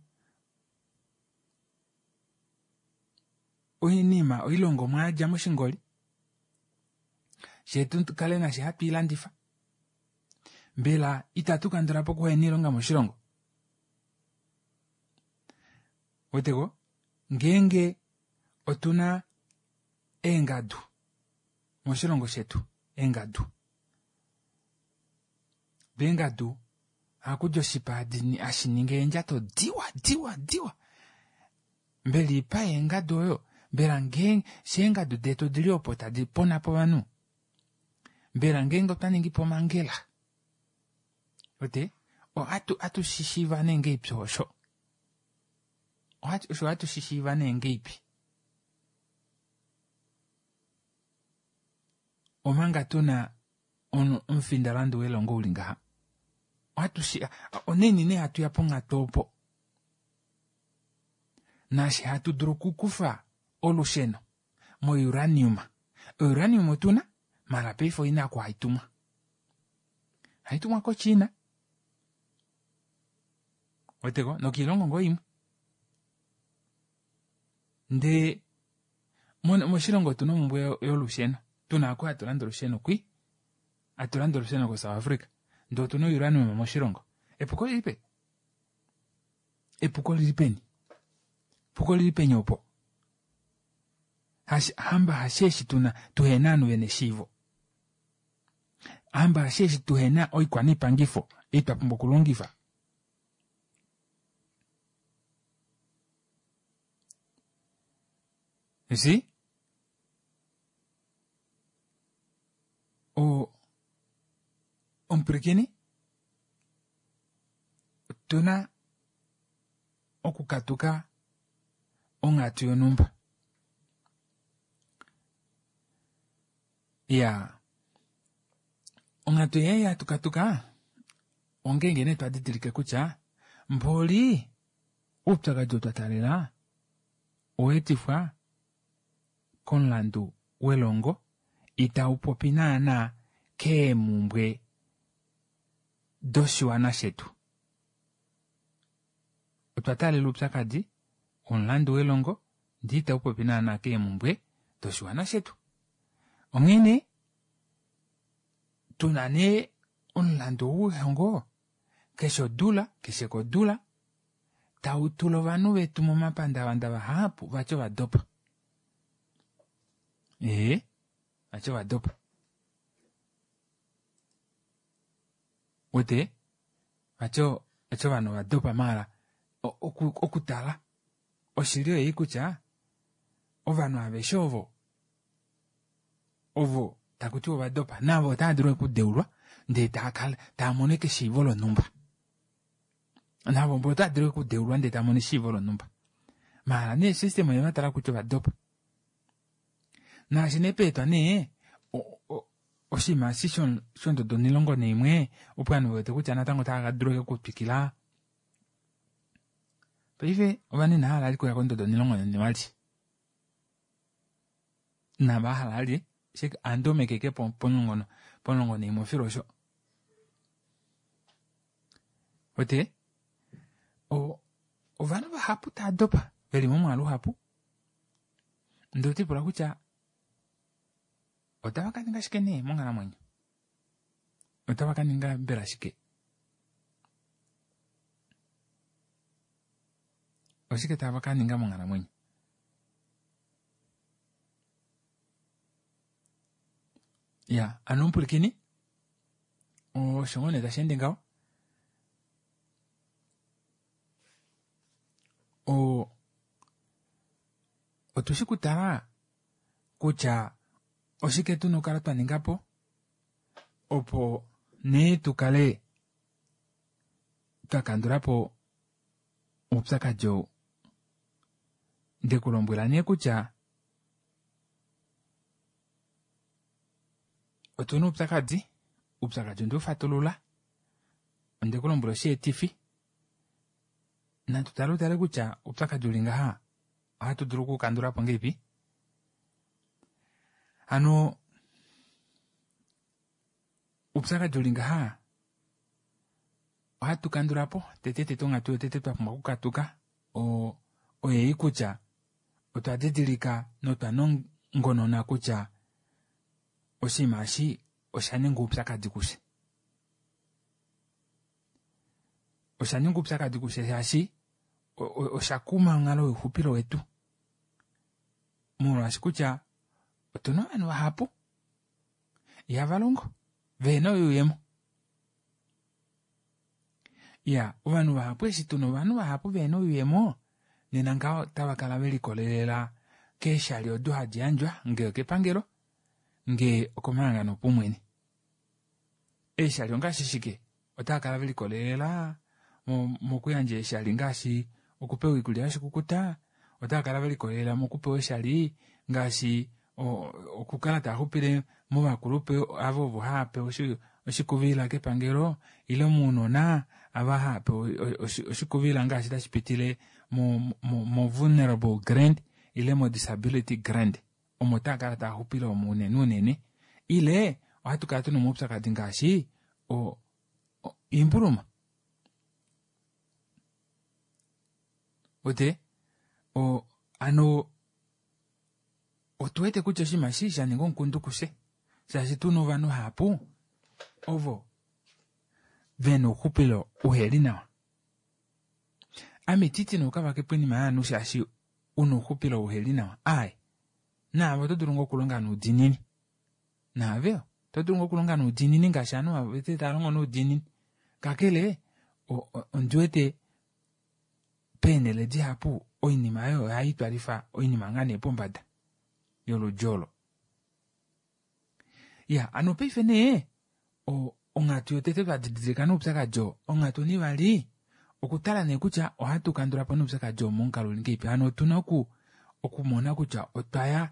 oinima, oilongomwa yadja moshingoli, shetu kale nashe hatu ilandifa. Mbela itatu kandula po okuhena oilonga moshilongo? Weteko, ngeenge otuna eengadu moshilongo shetu, eengadu. Eengadu ohakudi oshipa hashi ningi eendjato diwa, diwa, diwa. Mbela ipa yeengadu oyo, mbela ngeenge sheengadu detu odili opo tadi pona po ovanhu, mbela ngeenge otwa ningi po omangela, wete, atu shishiiva nee ngeipi osho? Osho ohatu shishiiva nee ngeipi? Omanga tuna omufindalandu welongo uli ngaha. Oneni nee hatu ya ponghatu opo. Naashi hatu dulu okukufa olusheno mouranium. Ouranium otuna, mala paife oina oku hai tumwa. Hai tumwa koChina. Weteko, nokiilongo ngoo imwe. Ndee, moshilongo otuna omhumbwe yolusheno. Tuna ako hatu landa olusheno kwi. Hatu landa olusheno koSouth Africa. Ndee otuna ouranium moshilongo. Epuko lili peni? Epuko lili peni? Epuko lili peni opo? Hamba hasheeshi tuna tuhena ovanhu vena eshiivo. Hamba hasheeshi tuhena oikwanipangifo ei twa pumbwa okulongifa. You see? Omupwilikini, otu na okukatuka onghatu yonhumba. Iyaa, onghatu ei hatu katuka ongeenge nee twa didilike kutya mboli oupyakadi oo twa taalela owa etifwa komulandu welongo itau popi naana keemumbwe doshiwana shetu. Otwa taalela oupyakadi womulandu welongo ndee itau popi naana keemumbwe doshiwana shetu. Onghene tuna nee omulandu ou wehongo keshe odula keshe kodula tau tula ovanhu vetu momapandavanda vahapu vati ovadopa. Ee, vati ovadopa. Wete vati vati ovanhu ovadopa maala okutala oshili oyei kutya ovanhu aveshe ovo ovo taku tiwa ovadopa navo otava dulu okudeulwa ndee taakala taamono eshiivo lonhumba. Navo mbo otava dulu okudeulwa ndee taamono eshiivo lonhumba. Maala nee system oye vatala kutya ovadopa. Naashi nee peetwa nee oshinima eshi shondodo 11 opo ovanhu vewete kutya natango otava dulu okutwikila. Paife ovanhu inava hala vali okuya kondodo 12. Inava hala vali ohandi omeke ashike pomulongo naimwe fiyo osho. Wete ovanhu vahapu tava dopa veli momwaalu uhapu ndee otolipula kutya otava kaninga shike nee monghalamwenyo? Otava kaninga mbela shike? Oshike tava kaninga monghalamwenyo? Ya, ano omupwilikini osho ngoo nee tashi ende ngaho. Otushi kutala kutya oshike tuna okukala twa ningapo opo nee tukale twa kandulapo oupyakadi ou. Ndekulombwela nee kutya otuna oupyakadi, oupyakadi onde ufatulula, ondekulombwela osheetifi, natu tale utale kutya oupyakadi uli ngaha ohatu dulu okukandulapo ngahelipi. Hano oupyakadi uli ngaha ohatu kandulapo tete tete onghatu yotete twa pumbwa okukatuka oyei kutya otwa didilika notwa nongonona kutya oshinima eshi osha ninga oupyakadi kufye. Osha ninga oupyakadi kufye shaashi osha kuma onghalo youxupilo wetu. Molwaashi kutya otuna ovanhu vahapu ihava longo vehena oyuuyemo. Iya, ovanhu vahapu eshi tuna ovanhu vahapu vehena oyuuyemo nena ngaho otava kala velikolelela keeshali odo hadi yandjwa ngee okepangelo ngee okomahangano opaumwene. Eeshali ongaashi shike? Otava kala velikolelela mokuyandja eeshali ngaashi okupewa oikulya yoshikukuta, otava kala velikolelela mokupewa eeshali ngaashi okukala tava xupile movakulupe avo ovo hava pewa oshikuvila kepangelo ile mounona ava hava pewa oshikuvila ngaashi tashi pitile mo vulnerable grant ile mo disability grant. Omo tava kala tava xupile omo unene unene. Ile ohatu kala tuna omaupyakadi ngaashi oimbuluma. Wete ano otu wete kutya oshinima eshi sha ninga omukundu kufye shaashi tuna ovanhu vahapu ovo vena ouxupilo uheli nawa. Ame ititi nee ukavake po oinima yovanhu shaashi una ouxupilo uheli nawa. Aaye, naave oto dulu ngoo okulonga noudiinini. Naave oto dulu ngoo okulonga noudiinini ngaashi ovanhu aveshe tava longo noudiinini. Kakele ondi wete peenhele dihapu oinima oyo ohai twalifa oinima ngaa nee pombada yoludi olo. Iya, hano paife nee. Onghatu yotete twa didilika noupyakadi oo. Onghatu onivali okutala nee kutya ohatu kandula po noupyakadi oo momukalo uli ngahelipi. Hano otuna okumona kutya otwa ya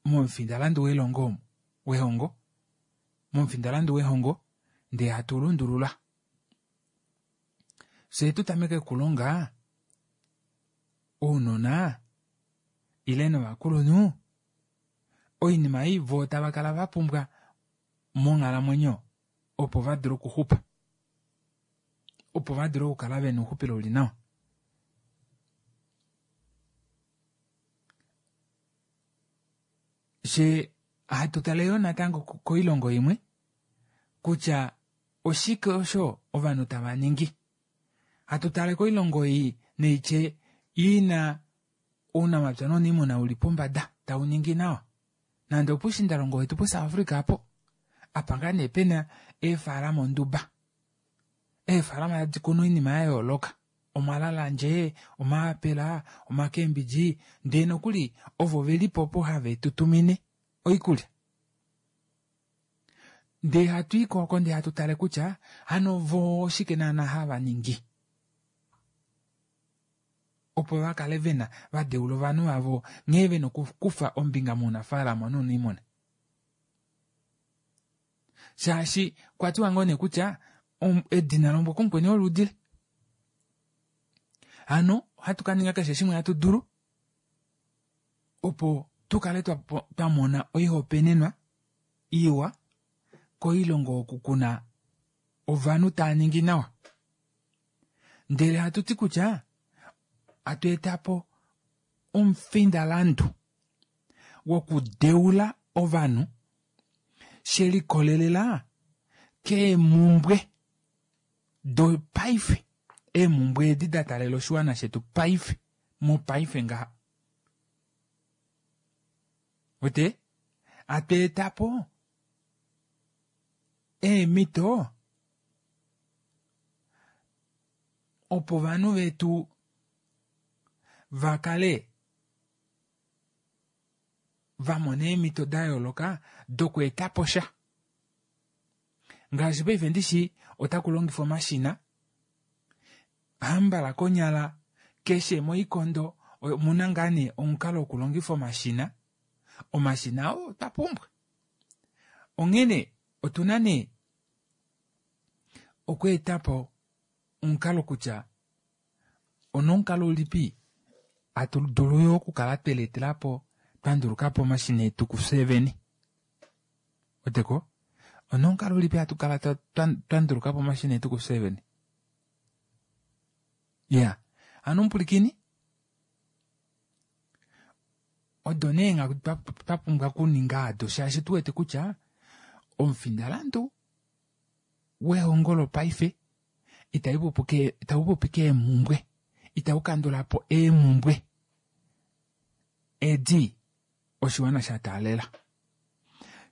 momufindalandu welongo omo, wehongo, momufindalandu wehongo ndee hatu lundulula. Fyee tu tameke okulonga ounona ile novakulunhu oinima ei voo tava kala vapumbwa monghalamwenyo opo vadule okuxupa, opo vadule okukala vena ouxupilo uli nawa. Fyee hatu tale yoo natango koilongo imwe kutya oshike osho ovanhu tava ningi. Hatu tale koilongo ei neitye ina ounamapya nouniimuna uli pombada tau ningi nawa. Nande opushindalongo wetu puSouth Africa apo apa ngaa nee pena eefalama onduba. Eefalama tadi kunu oinima ya yooloka, omalalandje, omaapela, omakembidji, ndee nokuli ovo velipo opo have tutumine oikulya. Ndee hatu i ko oko ndee hatu tale kutya hano voo oshike naana hava ningi opo va kale vena va deula ovanhu vavo nghee vena okukufa ombinga mounafaalama nouniimuna. Shaashi kwa tiwa ngoo nee kutya edina lombwa kumukweni olo udile. Hano ohatu ka ninga keshe shimwe hatu dulu opo tu kale twa mona oihopaenenwa iwa koilongo oku kuna ovanhu tava ningi nawa. Ndele hatu ti kutya hatu eta po omufindalandu wokudeula ovanhu she likolelela keemumbwe dopaife, eemumbwe edi da taalela oshiwana shetu paife, mopaife ngaha. Wete? Hatu eta po eemhito opo ovanhu vetu va kale va mona eemhito da yooloka dokweeta po sha. Ngaashi paife ndishi otaku longifwa omashina, hambala konyala keshe moikondo omuna ngaa nee omukalo wokulongifa omashina. Omashina oo otwa pumbwa. Onghene otuna nee okweeta po omukalo kutya onomukalo ulipi hatu dulu yo okukala twe lietela po twa nduluka po omashina etu kufye vene. Weteko? Onomukalo ulipi hatu kala twa nduluka po omashina etu kufye vene. Ya, hano omupulikini odo nee eenghatu twa pumbwa okuninga ado shaashi tu wete kutya omufindalandu wehongo lopaife itau popi keemhumbwe, itau kandula po eemhumbwe edi oshiwana sha taalela.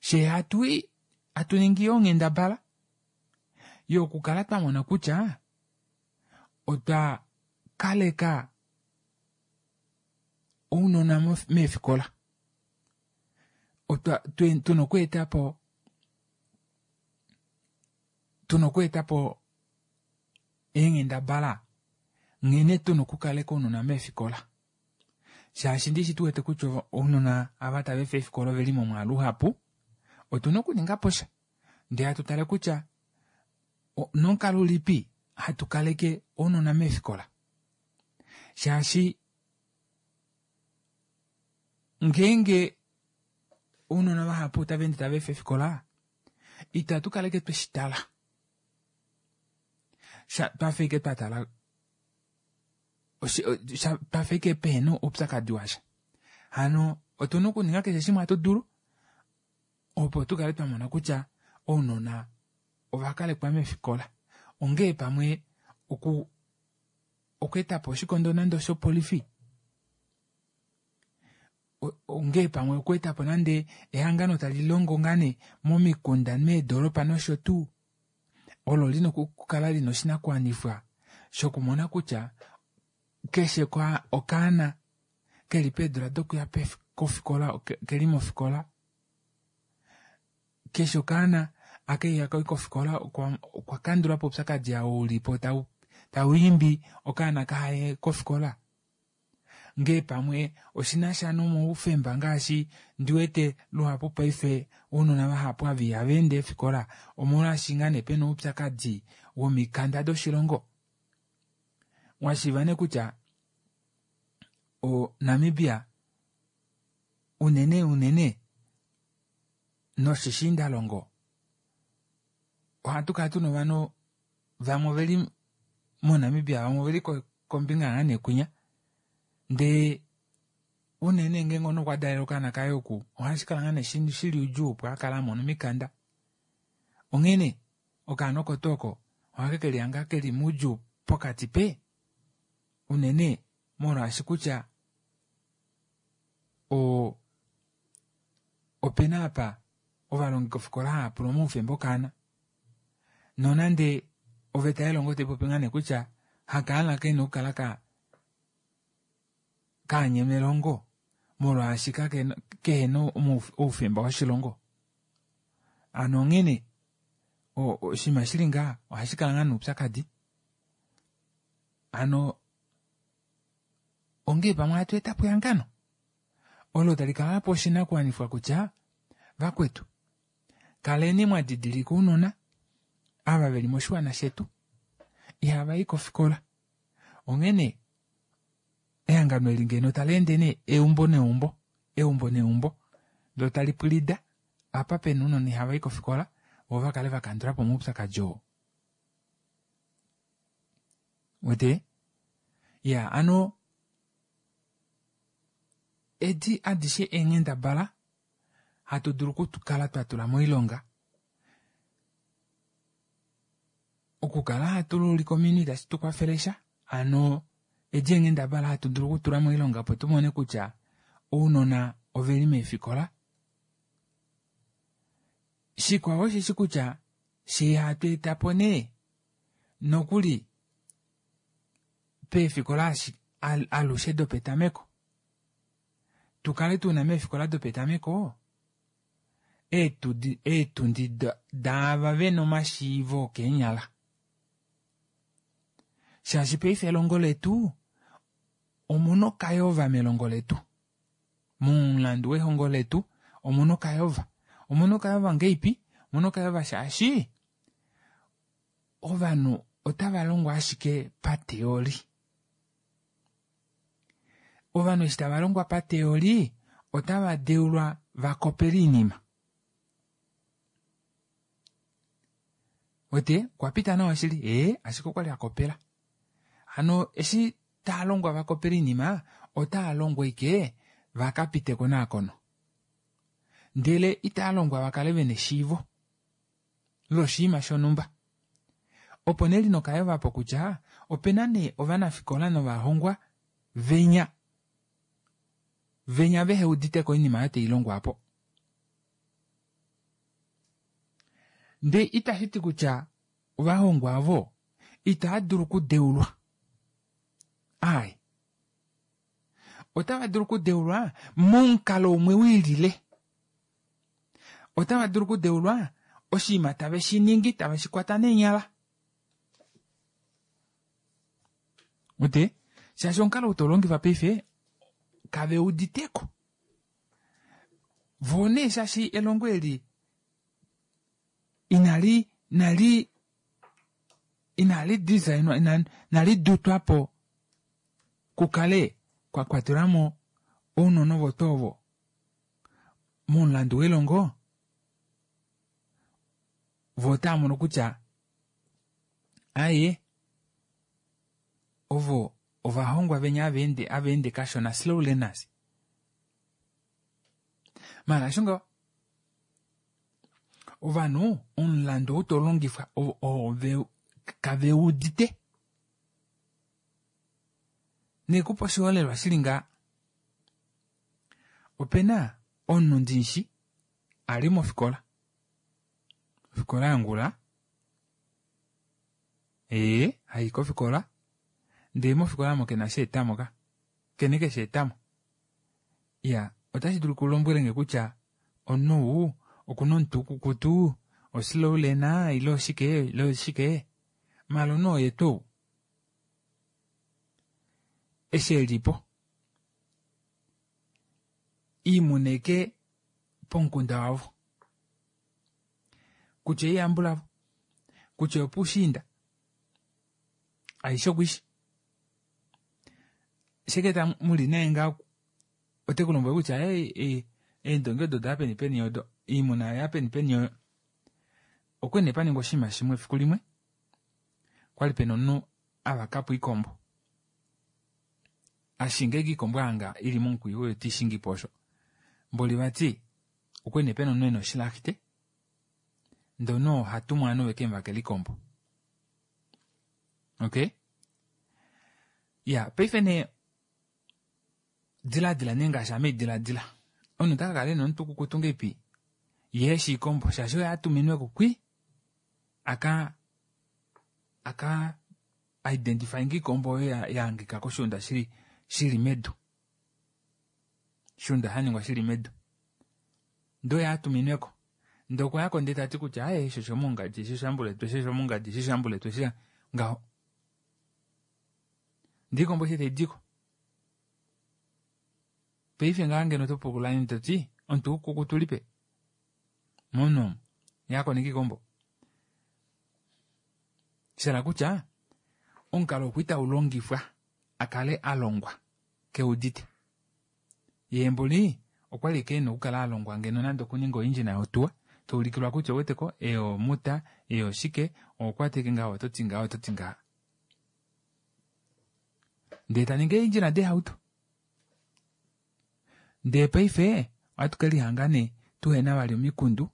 She hatu ningi yoo onghendabala yokukala twa mona kutya otwa kaleka ounona meefikola. Otwa tuna okweeta po tuna okweeta po eenghendabala nghene tuna okukaleka ounona meefikola. Shaashi ndishi tu wete kutya ounona ava tava efa eefikola oveli momwaalu uhapu, otuna okuninga po sha. Ndee hatu tale kutya nomukalo ulipi hatu kaleke ounona meefikola. Shaashi ngeenge ounona vahapu otava ende tava efa eefikola, itatu kaleke tweshi tala. Twafa ashike twa tala twafa ashike pehena oupyakadi washa. Hano otuna okuninga keshe shimwe hatu dulu opo tu kale twa mona kutya ounona ova kalekwa meefikola. Onghee pamwe okweeta po oshikondo nande oshopolifi, onghee pamwe okweeta po nande ehangano tali longo ngaa nee momikunda meedolopa nosho tuu, olo lina okukala lina oshinakuwanifwa shokumona kutya keshe okaana keli peedula dokuya kofikola keli mofikola. Keshe okaana aka ihaka i kofikola okwa kandula po oupyakadi oo ulipo tau imbi okaana kahaye kofikola. Ngee pamwe oshinasha nomaufemba ngaashi ndiwete luhapu paife ounona vahapu ava ihava ende eefikola omolwaashi ngaa nee pena oupyakadi womikanda doshilongo. Washiiva nee kutya Namibia unene unene noshishiindalongo ohatu kala tuna ovanhu vamwe oveli moNamibia vamwe oveli kombinga ngaa neekwinya ndee unene ngeenge omunhu okwa dalela okaana kaye oku ohashikala ngaa nee shili oudjuu opo akale amona omikanda. Onghene okaana oko tuu oko ohake kelihanga keli moudjuu pokati pee unene molwaashi kutya opena apa ovalongi kofikola hava pula omaufemba okaana nonande oveta yelongo taipopi ngaa nee kutya hakaana kena okukala kaanyema elongo molwaashi kehena oufemba woshilongo. Hano onghene oshinima shili ngaha ohashi kala ngaa noupyakadi. Hano ongee pamwe hatu etapo ehangano olo tali kala lapewa oshinakuwanifwa kutya vakwetu kaleni mwadidilika ounona ava veli moshiwana shetu ihava i kofikola. Onghene ehangano eli ngeno tali ende nee eumbo neumbo, eumbo neumbo loo tali pwilida apa pena ounona ihava i kofikola vo vakale vakandulapo omaupyakadi oo. Wete? Ya ano edi adishe eenghendabala hatu dulu okukala twatula moilonga okukala hatu lulike ominwe itashi tukwafele sha. Hano edi eenghendabala hatu dulu okutula moilonga opo tumone kutya ounona oveli meefikola. Shikwao osheshi kutya shee hatu etapo nee nokuli peefikola alushe dopetameko tukale tuna meefikola dopetameko eetundi daava vena omashiivo okeenyala. Shaashi paife elongo letu omuna okayova melongo letu. Momulandu wehongo letu omuna okayova. Omuna okayova ngeipi? Omuna okayova shaashi ovanhu otava longwa ashike pateori. Ovanhu eshi tava longwa pateori otava deulwa vakopele oinima. Wete okwa pita nawa shili ashike okwali akopela. Hano eshi taa longwa vakopele oinima otaa longwa ike vakapite konakono. Ndele itaa longwa vakale vena eshiivo loshinima shonhumba. Opo nee lina okayova po kutya opena nee ovanafikola novahongwa venya venya vehe uditeko oinima oyo tailongwa apo. Ndee itashi ti kutya ovahongwa avo itava dulu okudeulwa. Ai. Otava dulu okudeulwa momukalo umwe wiilile. Otava dulu okudeulwa oshinima tave shi ningi tave shi kwata neenyala. Wete? Shaashi omukalo ou taulongifa paife kave uditeko. Vo nee shaashi elongo eli inali nali inali designwa inali dutwapo kukale kwa kwatelwamo ounona ovo tuu ovo momulandu welongo vo otava mono kutya aye ovo ovahongwa venya ava ende kashona slow learners. Maala osho ngaho ovanhu omulandu ou taulongifwa kave udite. Nekupa oshiholelwa shili ngaa opena omunhu ndimushi ali mofikola ofikola yangula hai kofikola ndee mofikola omo kena sheetamo ka kene kesheetamo. Iya otashi dulu kulombwelenge kutya omunhu ou Okuna omutu ukukutu, oslowlena ile oshike ile oshike, maala omunhu oye tuu ou eshi elipo iimuna eke pomukunda wavo kutya oiyambulavo kutya opuushiinda aishe okwishi sheketa muli naye ngaa ote ku lombwele kutya eendongi odo oda peni peni odo iimuna oya peni peni oyo. Okwali nee paningwa oshinima shimwe efiku limwe kwali pena omunhu avakapo oikombo ashinga ashike oikombo hanga ili momukwiyu oyo teishingipo osho mboli vati okwali nee pena omunhu ena oshilahite ndee omunhu oo ohatumwa ovanhu vekemuvakele oikombo. Okay iya paife nee Diladila nee ngaashi ame diladila. Omunhu ota ka kala ena omutwe ukukutu ngeipi yee eshi ikombo shaashi oye atuminwe ko kwi aka aka identify nge ikombo oyo ya hangika koshuunda shili shili medu. Oshuunda sha ningwa shili medu. Ndee oye atuminwe ko. Ndee okwa yako ndee tati kutya aaye eshi oshomongadi eshi oshambuletu eshi oshomongadi eshi oshambuletu eshi ngaho. Ndee ikombo eshi taidiko Paife ngaa ngeno oto pula nge to ti, omuti ukukutu ulipe? Momunhu omu, ye a koneka ikombo. Sha hala kutya, omukalo okwa itau longifwa a kale a longwa ke udite. Yee mboli okwali ike ena okukala a longwa ngeno nande okuninga oindjina yotuwa, to ulikilwa kutya ouwete ko, ei omuta, ei oshike, oho kwata ike ngaha oto ti ngaha, oto ti ngaha. Ndee ta ningi eendjila deehauto. Ndee paife ohatu ke lihanga nee tuhena vali omikundu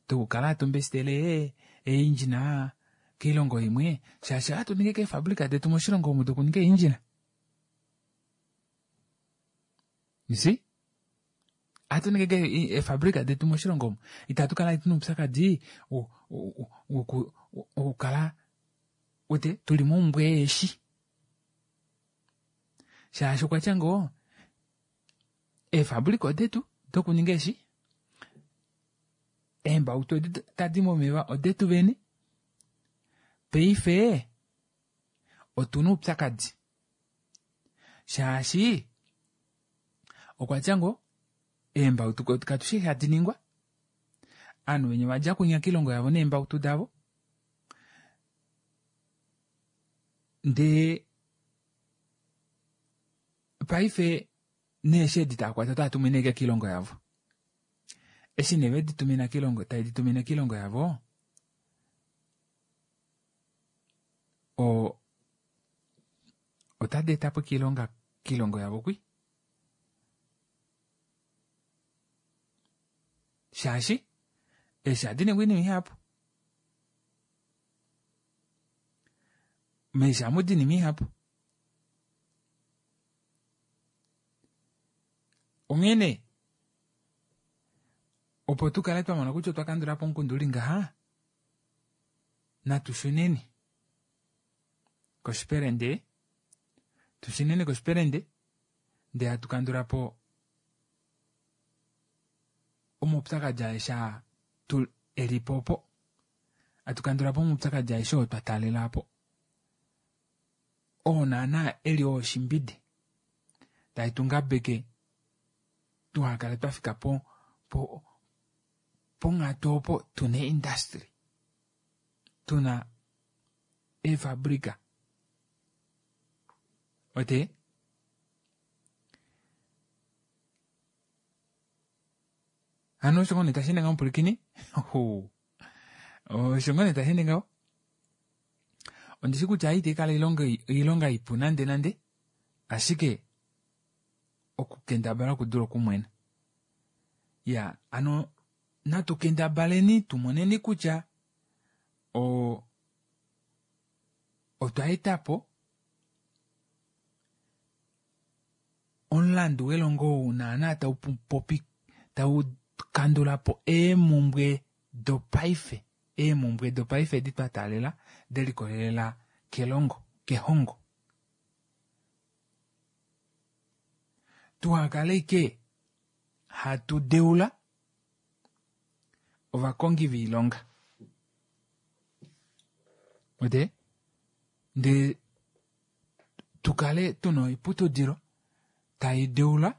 dokukala hatu mbestele eeindjina koilongo imwe shaashi ohatu ningi keefabrika detu moshilongo omu dokuninga eeindjina. You see? Ohatu ningi eefabrika detu moshilongo omu. Itatu kala tuna oupyakadi wokukala wete tuli momumbwe yeeshi. Shaashi okwa tya ngoo eefabulika odetu dokuninga eeshi, eembautu edi tadi momeva odetu vene. Paife otuna oupyakadi shaashi okwa tya ngoo eembautu katushi eshi hadi ningwa, ovanhu venya ovadja kwinya koilongo yavo neembautu davo ndee paife neeshi edi tava kwata otava tumine ashike koilongo yavo. Eshi nee vedi tumina koilongo taye di tumine koilongo yavo o otadi eta po oilonga koilongo yavo kwi shaashi eeshi ohadi ningwa oinima ihapu. Meeshi ohamu di oinima ihapu. Onghee nee, opo tu kale twa mona kutya otwa kandula po omukundu uli ngaha, natu shuneni koshipelende, tu shuneni koshipelende ndee hatu kandula po omaupyakadi aeshe aa tu eli po opo. Hatu kandula po omaupyakadi aeshe oo twa taalela po. Oo naana eli oo oshimbide tae tu ngabeke tuhakale twa fika po po ponghatu opo tuna eeindustry, tuna eefabrika. Wete? Hano osho ngoo nee tashi ende ngaho mupwilikini? Osho ngoo nee tashi ende ngaho. Ondishi kutya itai kala oilonga ipu nande nande, ashike okukendabala okudula okumwena. Ya, hano natu kendabaleni tumoneni kutya o otwa eta po omulandu welongo ou naana tau popi tau kandula po eemumbwe dopaife eemumbwe dopaife edi twa taalela de likolelela kelongo kehongo. Tuhakale ike hatu deula. ovakongi voilonga. Wete? Ndee tu kale tuna oiputudilo tai deula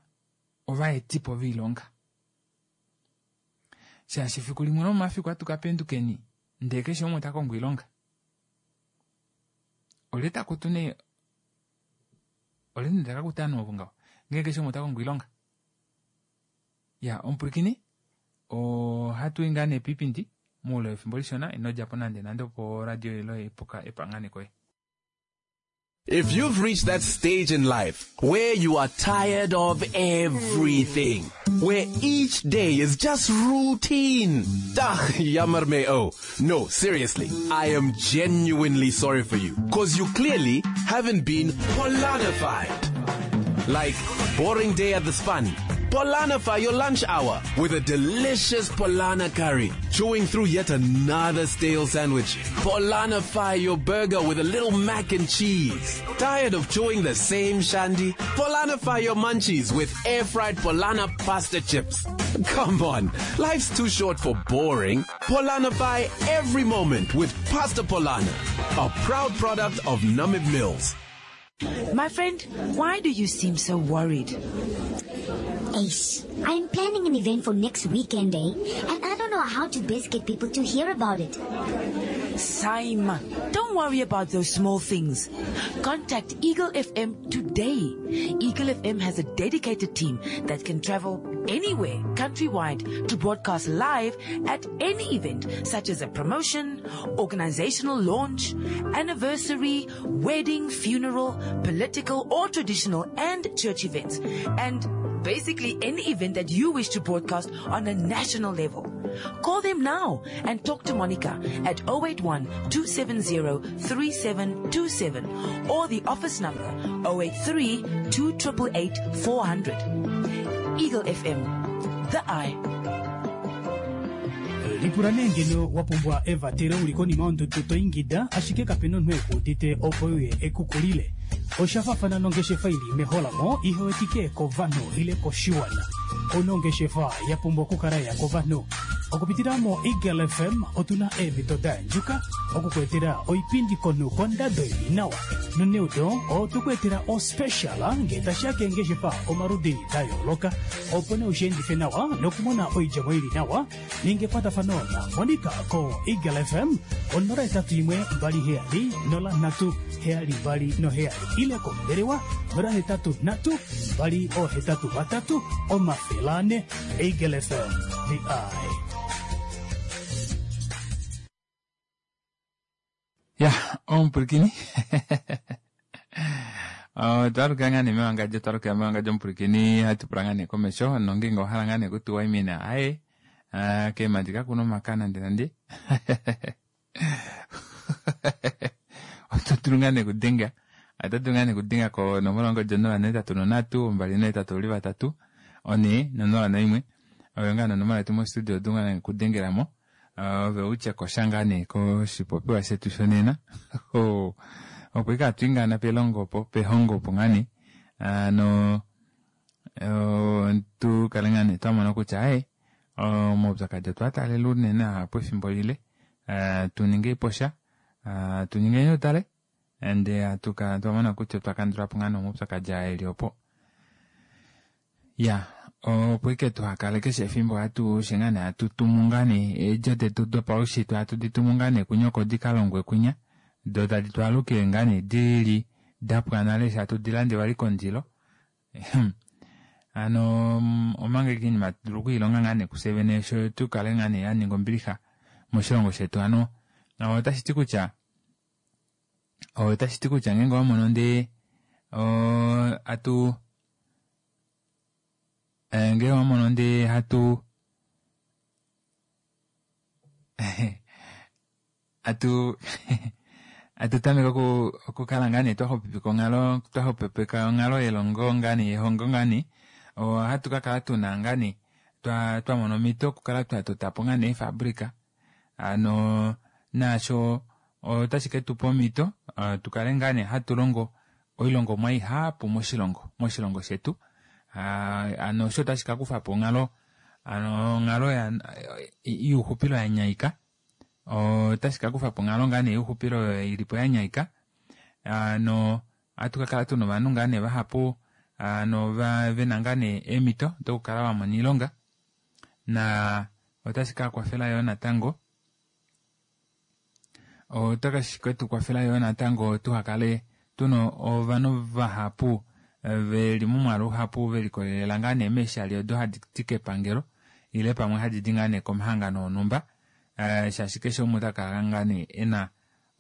ovaetipo voilonga. Shaashi efiku limwe lomomafiku atu ka pendukeni ndee keshe umwe ota kongo oilonga. Olye ta kutu nee olye nee taka kuta ovanhu ovo ngaho ngee keshe umwe ota kongo oilonga? Ya omupwilikini ohatu i ngaa nee piipindi moule wefimbo lishona ino dja po nande nande opo oradio yoye puka epanganeko ye. If you've reached that stage in life where you are tired of everything, where each day is just routine, Dach, jammer me oh. No, seriously, I am genuinely sorry for you, cause you clearly haven't been Polanified. Like, boring day at the span. Polanify your lunch hour with a delicious Polana curry, chewing through yet another stale sandwich. Polanify your burger with a little mac and cheese. Tired of chewing the same shandy? Polanify your munchies with air-fried Polana pasta chips. Come on, life's too short for boring. Polanify every moment with Pasta Polana, a proud product of Namib Mills. My friend, why do you seem so worried? Ace, I'm planning an event for next weekend, eh? And I don't know how to best get people to hear about it. Saima, don't worry about those small things. Contact Eagle FM today. Eagle FM has a dedicated team that can travel anywhere countrywide to broadcast live at any event such as a promotion, organizational launch, anniversary, wedding, funeral, political or traditional and church events. And basically any event that you wish to broadcast on a national level. Call them now and talk to Monica at 081 270 3727 or the office number 083 2888 400. Eagle FM, the eye. Lipula nee ngeno wa pumbwa evatelo u li konima yondudu to ingida ashike kape na omunhu e ku udite opo e uye e ku kulile. Osha faafana nongeshefa i li meholamo ihe wetike kovanhu ile koshiwana. Ouna ongeshefa ya pumbwa okukala ya kovanhu. Okupitila moEagle FM otu na eemhito da andjuka oku ku etela oipindi komunhu kondado i li nawa. Noneudo otwe ku etela ospecial ngee tashi ya keengeshefa omaludi da yooloka opo nee u shi endife nawa nokumona oidjemo i li nawa. Ninga ekwatafano naMonica koEagle FM ko 081 27 03 72 ile kombelewa 083 283 400. Eagle FM, the eye. Ya, omupwilikini otwa luka ngaa nee mewangadjo, twa luka mewangadjo omupwilikini hatu pula ngaa nee komesho nongeenge owa hala ngaa nee okutu waimina aye ah, keemadi kakuna omaka nande nande oto dulu ngaa nee okudenga oto dulu ngaa nee okudenga konomola yongodi 083 283 401 oyo ngaa nonomola yetu mostudio oto dulu ngaa nee okudengela mo Ove u tye ko sha ngaa nee koshipopiwa shetu shonena. Opo ike hatu i ngaa na pelongo opo, pehongo opo ngaa nee. Hano tu kale ngaa nee twa mona kutya aye, omaupyakadi otwa taalela unene ahapu efimbo lile. Tu ninge po sha, tu ningeni utale, ndee hatu kala twa mona kutya otwa kandula po ngaa nee omaupyakadi aa eli opo. Ya, opo ike tuha kale keshe efimbo hatu she ngaa nee hatu tumu ngaa nee eedjo detu dopaushitwe hatu di tumu ngaa nee kunya oko di ka longwe kunya, do tadi tu alukile ngaa nee di li da pwa nale eshi hatu di lande vali kondilo. Hano omanga ike oinima hatu dulu okwiilonga ngaa nee kufye vene sho tu kale ngaa nee ya ninga ombilixa moshilongo shetu. Hano otashi ti kutya otashi ti kutya ngeenge owa mono ndee hatu Eh, ngee owa mono ndee hatu hatu hatu tameke oku okukala ngaa nee twa xupipika onghalo twa xupipika onghalo yelongo ngaa nee yehongo ngaa nee ohatu ka kala tuna ngaa nee twa twa mona omhito okukala twa tota po ngaa nee eefabrika hano naasho otashi ke tu pa omhito tu kale ngaa nee hatu longo oilongomwa ihapu moshilongo moshilongo shetu. Hano osho otashi ka kufa po onghalo Ano onghalo youxupilo ya nyaika otashi ka kufa po onghalo ngaa nee youxupilo oyo ili po ya nyaika no ohatu ka kala tuna ovanhu ngaa nee vahapu ano vena ngaa nee eemhito dokukala vamona oilonga na otashi ka kwafela yoo natango otashi ketu kwafela yoo natango tuhakale tuna ovanhu vahapu veli momwaalu uhapu velikolelela ngaa nee meeshali odo hadi di kepangelo ile pamwe hadi di ngaa nee komahangano onhumba shaashi keshe umwe ota kala ngaa nee ena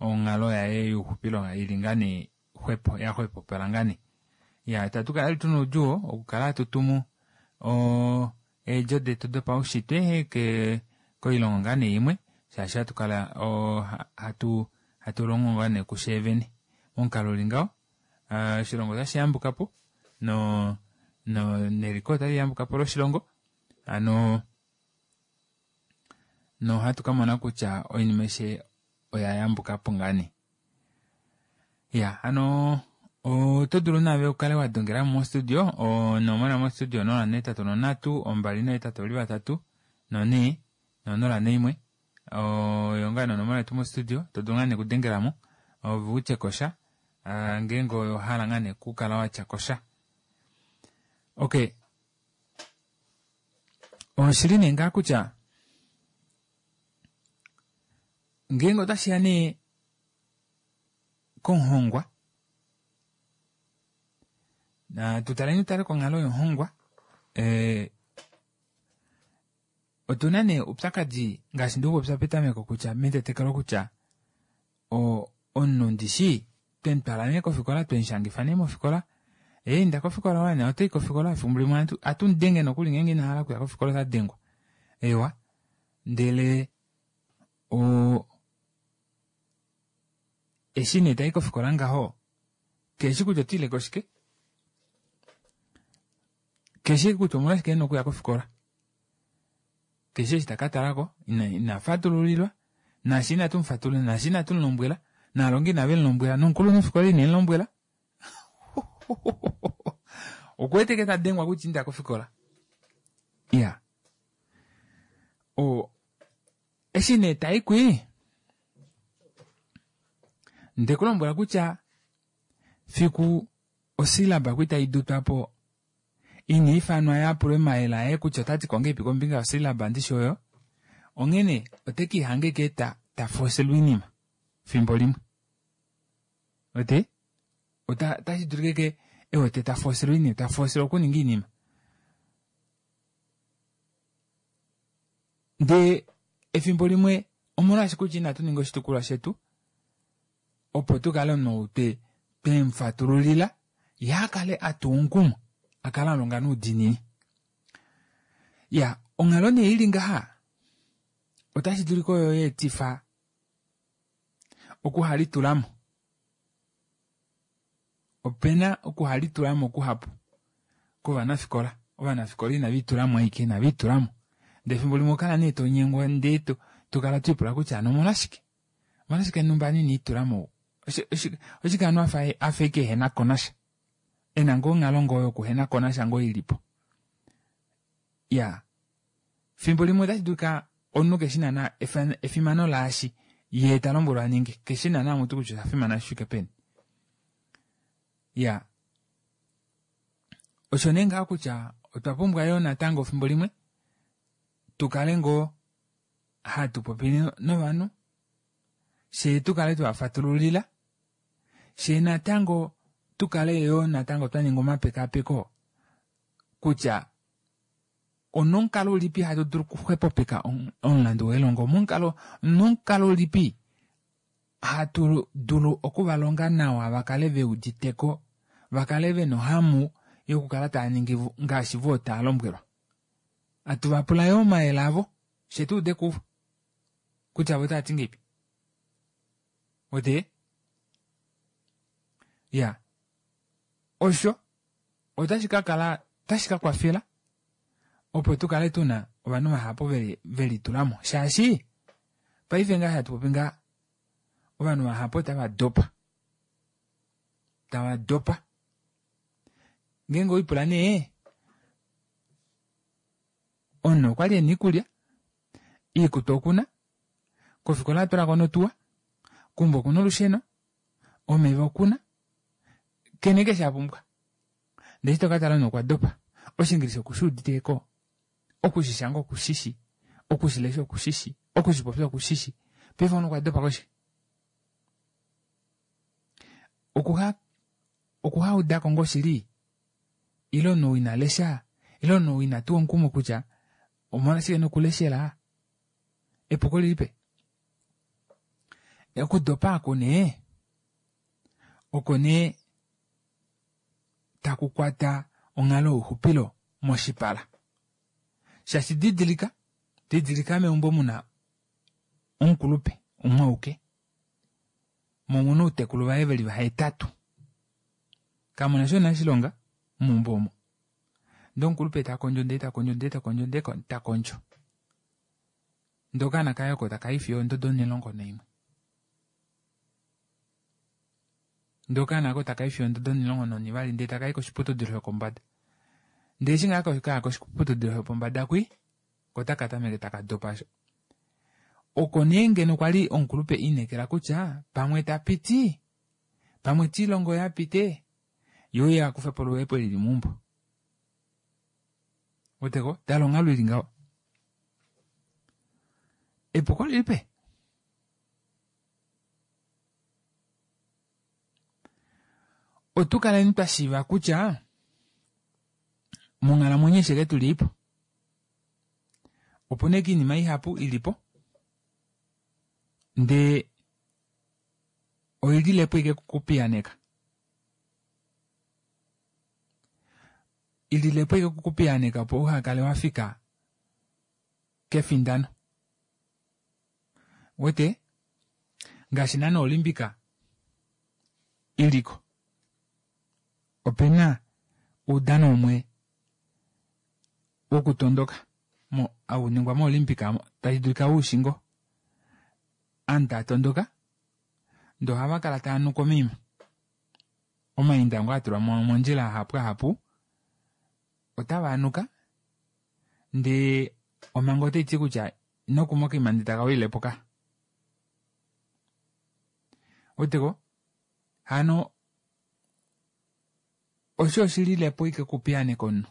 onghalo yaye youxupilo ili ngaa nee xwepo yaxwepopala ngaa nee. Ya itatu kala tuna oudjuu okukala hatu tumu eedjo detu dopaushitwe koilongo ngaa nee imwe shaashi hatu kala hatu longo ngaa nee kusheevene momukalo uli ngaho oshilongo otashi yambuka po neliko otali yambuka po loshilongo ano nohatu kamona kutya oinima aishe oya yambuka po ngaa nee. Ya hano oto dulu naave ukale wa dongela mostudio onomola mostudio 083 283 4 041 oyo ngaa nonomola yetu mostudio to dulu ngaa nee okudengelamo ove utye kosha ngeenge owahala ngaa nee okukala watya kosha. Okay, oshili nee ngaa kutya ngeenge otashiya nee komuhongwa na tutaleni tutale konghalo yomuhongwa otuna nee oupyakadi ngaashi ndikupopya petameko kutya metetekelo kutya omunhu ndishi twemutwala nee kofikola twemushangifa nee mofikola inda kofikola wana otai kofikola efimbo limwe atumudenge nokuli ngeenge inahala okuya kofikola otadengwa ewa ndele eshi nee tai kofikola ngaho keshi kutya otiileko shike keshi kutya omolwashike ena okuya kofikola keshi eshi takatalako ina fatululilwa nashi inatu mufatululila nashi inatu mulombwela naalongi inave mulombwela nomukulunhu fikola ine mulombwela okuwete ke tadengwa kutya inda kofikola iya eshi nee taikwi ndekulombwela kutya fiku osilaba kwi taidutwa po ina ifanwa yapulwe mayele aye kutya otati kongeipi kombinga yosilaba ndishi oyo onghene otekihange ke tafoselwa oinima fimbo limwe ote otashi dulike ke ewete tafoselwa oinima tafoselwa okuninga oinima ndee efimbo limwe omolwaashi kutya inatu ninga oshitukulwa shetu opo tukale omunhu twemufatululila ye akale atuwa omukumo akale alonga noudiinini. Ya onghalo nee ili ngaha otashi dulika oyo yeetifa okuhalitulamo. Opena okuhalitulamo kuhapu kovanafikola. Ovanafikola inave itulamo aike inave itulamo. Ndee efimbo limwe okala nee tonyengwa ndee tokala twipula kutya ano omolwashike? Omolwashike numba ina itulamo? Oshike anu afa ike ehena ko nasha? Ena ngoo onghalo ngoo yokuhena ko nasha ngoo ilipo. Ya fimbo limwe otashi dulika omunhu keshi naana efimano laashi ye talombwelwa aninge keshi naana mutu kutya osha fimana shi fike peni. Ya osho nee ngaho kutya otwa pumbwa yoo natango fimbo limwe tukale ngoo hatu popi novanhu shee tukale twafatululila shee natango tukale yoo natango twaninga omapekapeko kutya onomukalo ulipi hatu dulu okuxwepopeka omulandu welongo nomukalo ulipi hatu dulu okuvalonga nawa vakale veuditeko vakale vena ohamu yokukala tava ningi ngaashi voo tava lombwelwa. Atu vapula yoo omayele avo she tuude kuvo kutya vo otavati ngeipi ote ya osho otashi kakala otashi kakwafela opo tukale tuna ovanhu vahapu velitulamo shaashi paife ngaa hatu popi ngaa ovanhu vahapu otava dopa tava dopa ngeenge oipula nee. Omunhu okwali ena iikulya, iikutu okuna, kofikola atulako notuwa, keumbo okuna olusheno, omeva okuna, kene keshe apumbwa. Ndee eshi tokatala omunhu okwa dopa, Oshiingilisa okushuuditeko, okushishanga okushishi, okushilesha okushishi, okushipopya okushishi, paife omunhu okwa dopa koshike? Okuha okuhaudako ngoo shili ile omunhu ou ina lesha ile omunhu ou ina tuwa omukumo kutya omolwashike nokuleshela epuko lilipe okudopa aku nee oko nee taku kwata onghalo youxupilo moshipala shaashi didilika didilika meumbo muna omukulupe umwe auke mo omuna outekulu vaye veli vahetatu kamuna sho nashilonga meumbo omo ndee omukulupe takondjo ndee takondjo ndee takondjo ndee takondjo ndee okaana kaye oko takayi fiyo ondodo 11. Ndee okaana oko takayi fiyo ondodo 12 ndee takayi koshiputudilo shopombada. Ndee eshi ngaa kaya koshiputudilo shopombada kwi ko otaka tameke taka dopa osho. Oko nee ngeno kwali omukulupe inekela kutya pamwe tapiti, pamwe tiilongo ye apite, ye uye akufepo oluhepo eli lili meumbo. Weteko, tala onghalo ili ngaho. Epuko lilipe? Otu kaleni twa shiiva kutya monghalamwenyo eshi tu li po opu na iinima ihapu i li po ndee oi lile po ike kukupiyaneka i lile po ike kukupiyaneka opo uha kale wa fika kefindano wete ngaashi naana Olimpika iliko opena oudano umwe wokutondoka au ningwa mo Olimpika tashi dulika ushi ngo aantu taya tondoka ndee ohava kala taya nuka omaima omainda ngo atulwa mondjila ahapu ahapu otava nuka ndee omhango otai ti kutya ino kuma okaima ndee taka wilepo ka weteko hano osho oshililepo ike okupiyaaneka omunhu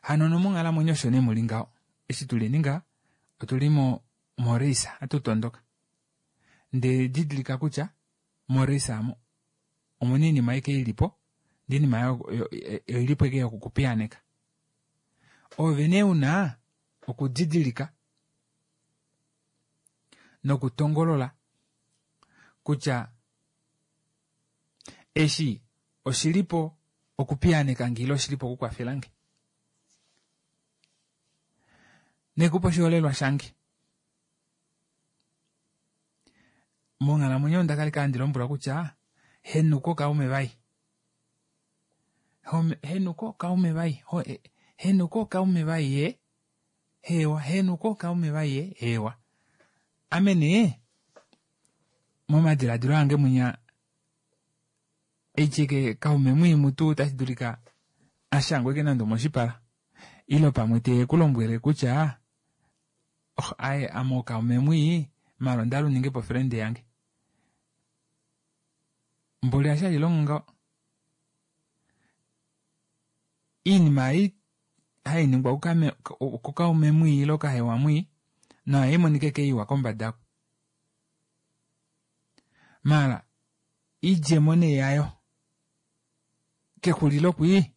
hano nomonghalamwenyo osho nee muli ngaho eshi tuli ninga otuli mo morace hatu tondoka ndee didilika kutya morace amo omuna oinima ike ilipo ndee oinima oilipo ike yokukupiyaaneka ove nee una okudidilika nokutongolola kutya eshi oshilipo okupiyaaneka nge ile oshilipo okukwafelange. Nekupa oshiholelwa shange. Monghalamwenyo onda kala handi lombwelwa kutya henuka ookaume vai. Henuka ookaume vai. Henuka ookaume vai ye. Heewa, henuka ookaume vai ye. Heewa. Ame nee momadiladilo ange mwinya eke kaume mwii mutu otashi dulika ashangwe eke nande omoshipala ile pamwe te ku lombwele kutya oh, aye ame okaume mwii mala onda hala uninge po friend yange mboli ashi hashi longo ngaho iinima ei hai ningwa kukaume mwii ile okahewa mwii nayo imonika eke iwa kombada mala idjemo nee yayo kexulilo kwii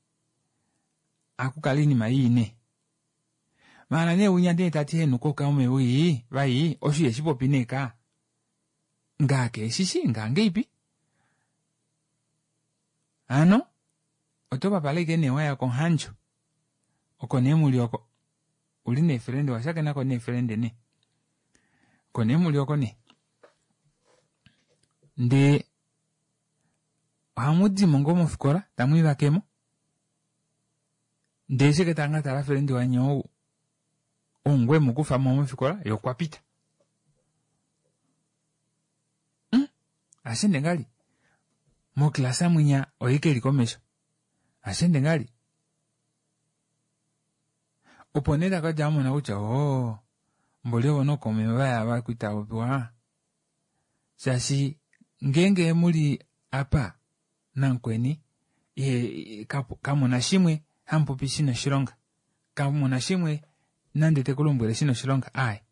akukala iinima ii nee mala nee winya ndee tati henuka ookaume wii vai osho iheshipopi nee ka ngaa keeshishi ngaa ngeipi hano oto papala ike nee waya komuhandjo oko nee muli oko uli neefrende washakenako neefrende nee oko nee muli oko nee ndee ohamu dimo ngoo mofikola tamu ivakemo ndee eshi tanga tala frendi wanye ou ongwe mu kufa mo mofikola ye okwa pita ashende ngali mokilasa mwinya oye keli komesho ashende ngali. Opo nee takadja amona kutya oo mboli ovo nookaume vaya vakwita popiwa shaashi ngeenge muli apa namukweni ihe kamuna shimwe hamupopi shina oshilonga kamuna shimwe nande tekulombwele shina oshilonga aaye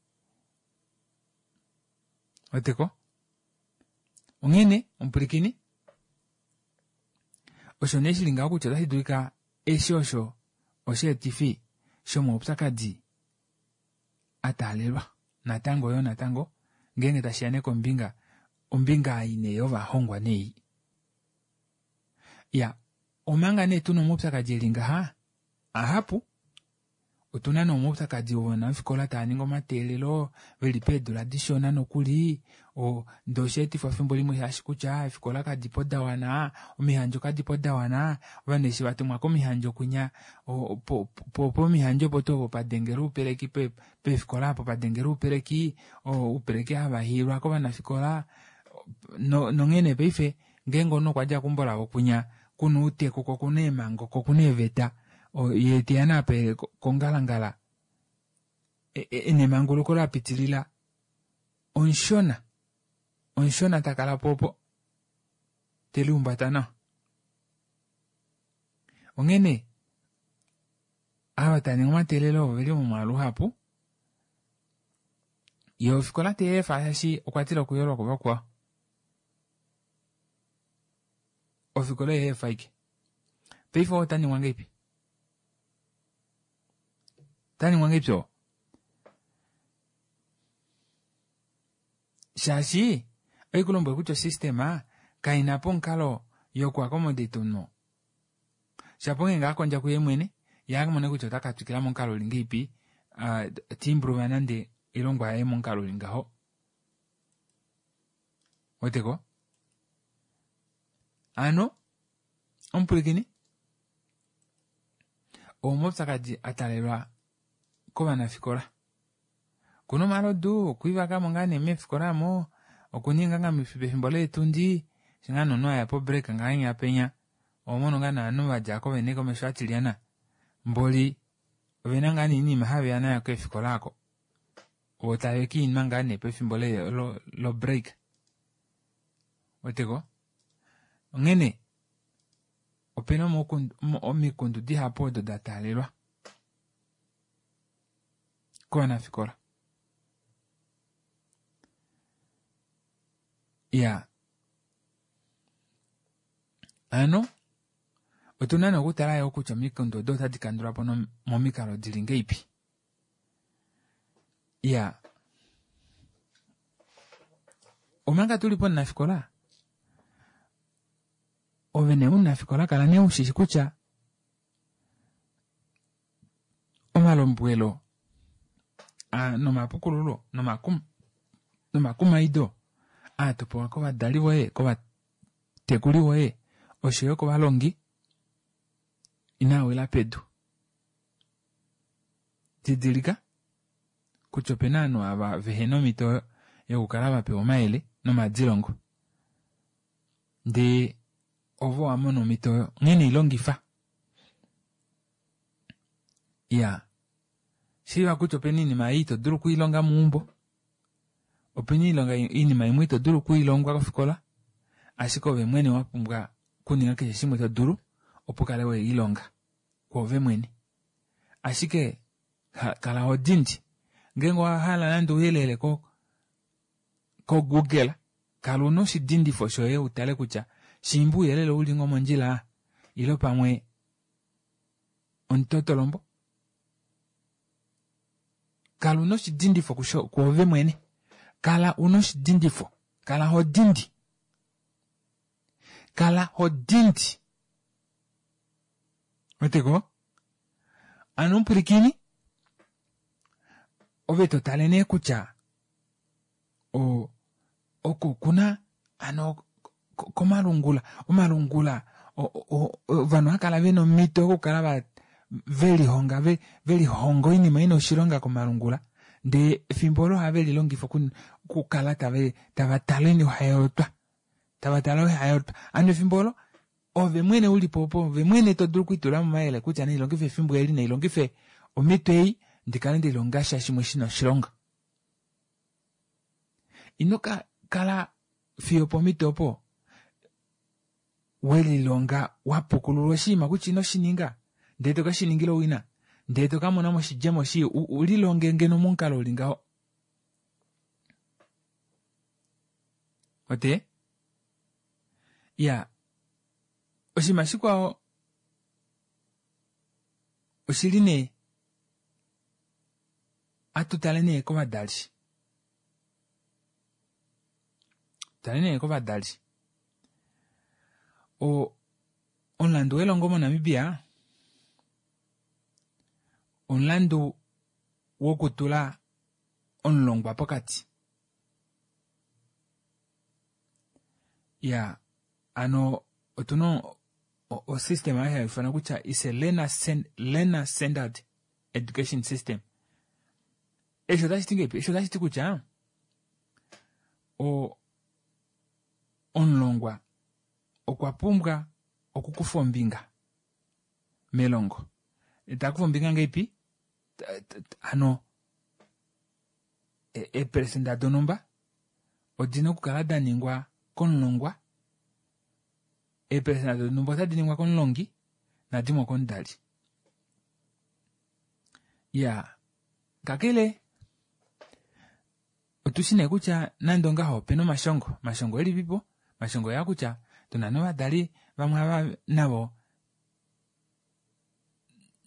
weteko onghene omupwilikini osho nee shili ngaho kutya otashi dulika eshi osho osheetifi shomaupyakadi ataalelwa natango yoo natango ngeenge tashiya nee kombinga ombinga ei nee yovahongwa nei ya omanga nee tuna omaupyakadi eli ngaha ahapu otuna nee omaupyakadi wovanafikola tava ningi omateelelo veli peedula dishona nokuli ndee oshaetifwa efimbo limwe shaashi kutya eefikola kadipo dawana omihandjo kadipo dawana ovanhu eshi vatumwa komihandjo kwinya pomihandjo opo tuu opo padengela oupeleki peefikola apo padengela oupeleki oupeleki hava hiilwa kovanafikola nonghene paife ngeenge omunhu okwadja keumbo lavo kwinya kuna outeku ko okuna eemhango ko okuna eeveta yee teya nee apa kongalangala ena emanguluko lapitilila omushona omushona takalapo opo telihumbata nawa onghene ava taningi omateelelo oveli momwaalu uhapu yee ofikola teyeefa shaashi okwatila okuyolwa kuvakwao ofikola oyeefa ashike paife oo otaningwa ngahelipi otaningwa ngahelipi oo shaashi oikulombwela kutya osystema kaina po omukalo yoku accommodate omunhu shapo ngeenge akondja kuye mwene yee amone kutya otaka twikila momukalo uli ngahelipi ta improve nande oilongwa yaye momukalo uli ngaho weteko hano omupwilikini omaupyakadi atalelwa kovanafikola okuna omalodu okwiivakamo ngaa nee meefikola aamo okuninga ngaa pefimbo leetundi eshi ngaa nee omunhu aya po break ngahenya penya ohomono ngaa nee ovanhu vadjako vene komesho atilyana mboli ovena ngaa nee oinima haveya nayo keefikola aako voo tave kiinwa ngaa nee pefimbo lo break weteko onghene opena omikundu dihapu odo dataalelwa kovanafikola iya hano otuna nee okutala yoo kutya omikundu odo otadi kandulwapo momikalo dili ngahelipi iya omanga tuli pomunafikola ove nee omunafikola kala nee ushishi kutya omalombwelo nomapukululo nomakumaido aa topewa kovadali voye kovatekuli voye oshoyo kovalongi inaa wila pedu didilika kutya opena ovanhu ava vehena omhito yokukala vapewa omayele nomadilongo ndee ovo wamona omhito oyo onghee neilongifa iya shiiva kutya opena oinima ei ito dulu okwiilonga meumbo opena oinima imwe ito dulu okwiilongwa kofikola ashike ove mwene wapumbwa okuninga keshe shimwe to dulu opo ukale welilonga kwoove mwene ashike kala ho dindi ngeenge owahala nande ouyelele ko google kala una oshidindifo shoye utale kutya shiimba ouyelele ouli ngoo mondjila ile pamwe omutotolombo kala una oshidindifo kwoove mwene kala una oshidindifo kala ho dindi kala ho dindi weteko ano omupwilikini ove totale nee kutya oko kuna ano komalungula omalungula ovanhu ohakala vena omhito yokukala velihonga velihonga oinima ina oshilonga komalungula ndee efimbo olo ohave lilongifa okukala tava tale ohayootwa tava tale ohayootwa hano efimbo olo ove mwene ulipo opo ove mwene to dulu okwiitula momayele kutya nailongife efimbo eli nailongife. Omhito ei ndi kale nde lilonga sha shimwe shi na oshilonga. Ino ka kala fiyo pomhito opo we lilonga wa pukululwa oshinima kutya ino shi ninga ndele to ke shi ningila owina ndele to ka mona mo oshidjemo shii u lilonge ngeno momukalo uli ngaho. Ote? Ya, oshinima shikwao oshili nee atu tale nee kovadali. Tale nee kovadali. O omulandu welongo moNamibia omulandu wokutula omulongwa pokati. Ya ano otuna osystem ayo hai ifanwa kutya is a learner, learner centered education system. Eshi otashi ti ngeipi? Eshi otashi ti kutya o omulongwa okwa pumbwa okukufa ombinga melongo. Ta kufa ombinga ngeipi? Hano eeperesenda donhumba odina okukala da ningwa komulongwa, eeperesenda donhumba otadi ningwa komulongi nadimwe okomudali. Ya kakele otushi nee kutya nande ongaho opena omashongo, omashongo elipipo? Omashongo oyaa kutya tuna novadali vamwe ava navo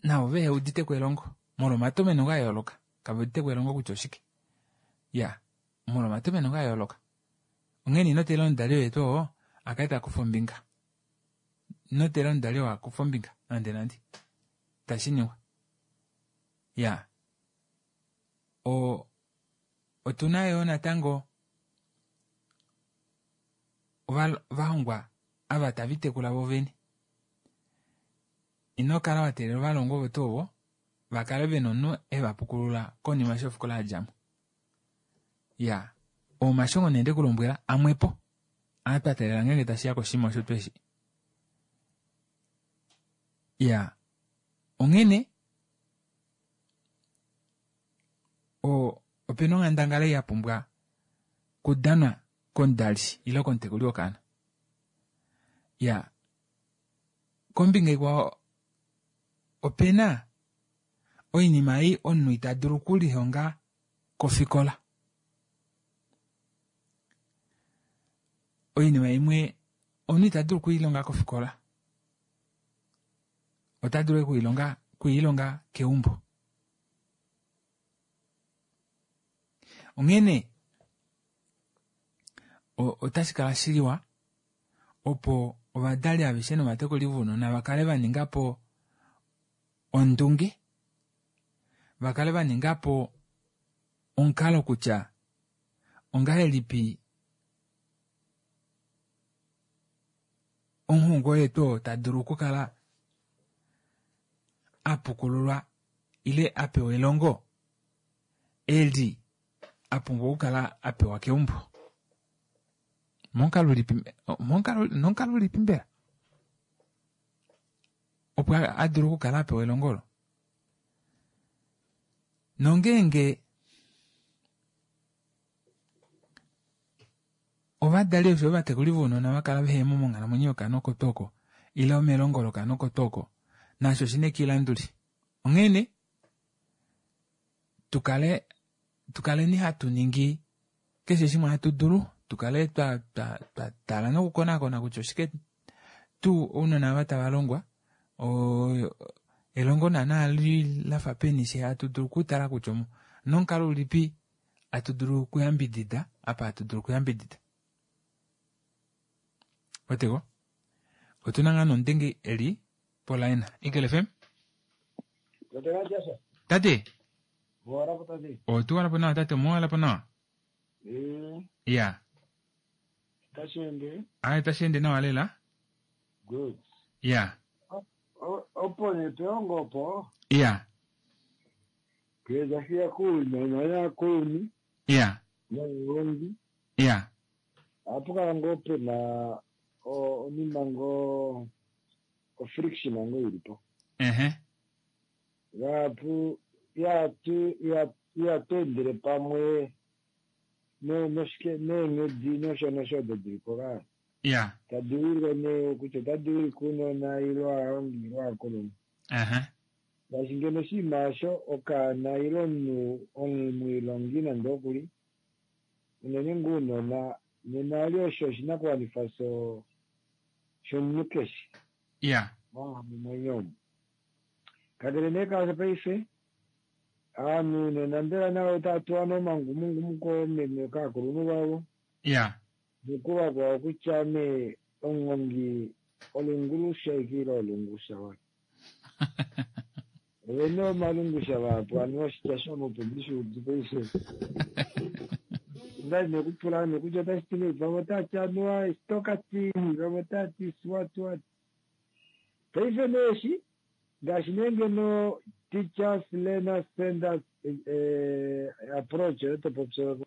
navo vehe udite ko elongo molwa omatomheno ga yooloka kave udite ko elongo kutya oshike ya molwa omatomheno ga yooloka onghene ino teelela omudali oye tuu oo a kale ta kufa ombinga ino teelela omudali oo a kufa ombinga nande nande itashi ningwa ya o otuna yoo natango ovahongwa ava tava itekula vo vene Ino kala wa teelela ovalongwa ovo tuu ovo va kale ve na omunhu e va pukulula konima eshi ofikola ya dja mo. Ya, oo omashongo nee nde ku lombwela amwepo aa twa teelela ngeenge tashi ya koshinima osho tweshi. Ya, onghene o opena onghandangala ei ya pumbwa kudanwa komudali ile komutekuli wokaana. Ya, Kombinga ikwao, ope na oinima ei omunhu ita dulu okulihonga kofikola. Oinima imwe omunhu ita dulu okuilonga kofikola, ota dulu okuilonga okuilonga keumbo. Onghene otashi kala shiliwa opo ovadali aveshe novatekuli vounona va kale va ninga po ondunge, va kale va ninga po omukalo kutya ongahelipi omuhongwa oye tuu oo ta dulu okukala a pukululwa ile a pewa elongo eli a pumbwa okukala a pewa keumbo. Momukalo ulipi momukalo nomukalo ulipi mbela opo a dulu okukala a pewa elongo olo? Nongeenge ovadali osho ovatekuli vounona va kala vehe mo monghalamwenyo yokaana oko tuu oko ile melongo lokaana oko tuu oko, naasho oshi na ekilanduli. Onghene tu kale tu kaleni hatu ningi keshe shimwe hatu dulu tu kale twa twa twa tala nokukonakona kutya oshike tuu ounona ava tava longwa o elongo naana li lafa peni she hatu dulu okutala kutya nomukalo ulipi hatu dulu okuyambidida apa hatu dulu okuyambidida oteko otuna ngaa nomudenge eli polaina Eagle FM tate otuwalapo nawa tate omuwalapo nawa ya Tashi ende. Aye tashi ende nawa lela. Good. Ya. Opo ne peongo opo. Ya. Ngee tashi ya kounona naakulunhu. Ya. Novalongi. Ya. Ohapu kala ngoo pe na onima ngoo ofriction ngoo ili po. Ehe. Vahapu ihatu endele pamwe noshike neenghedi nosho nosho odo dili po kaya. Tadi wilike nee kutya otadi wilike ounona ile ovalongi ile ovakulunhu. Ngaashi ngeno oshinima osho okaana ile omunhu omwiilongi nande okuli unene ngoo ounona nena ali osho oshinakuwanifwa shomunhu keshe monghalamwenyo omu. Kakele nee kaasho paife ovanhu nena mbela navo otava tuwa nee omangumungumu koomeme kaakulunhu vavo. Nokuvakwao kutya nee omuhongi olungulusha ike ile olungusha wa. Ovene omalungusha vahapu aniwa oshitya shomupe ndishi udu paife. Ondali nekupula nee kutya otashi ti ngahelipi, vamwe otava ti anuwa stokati, vamwe otava ti swat wat. Paife nee eshi ngaashi nee ngeno teachers learners centers approach oyo to popi oyo.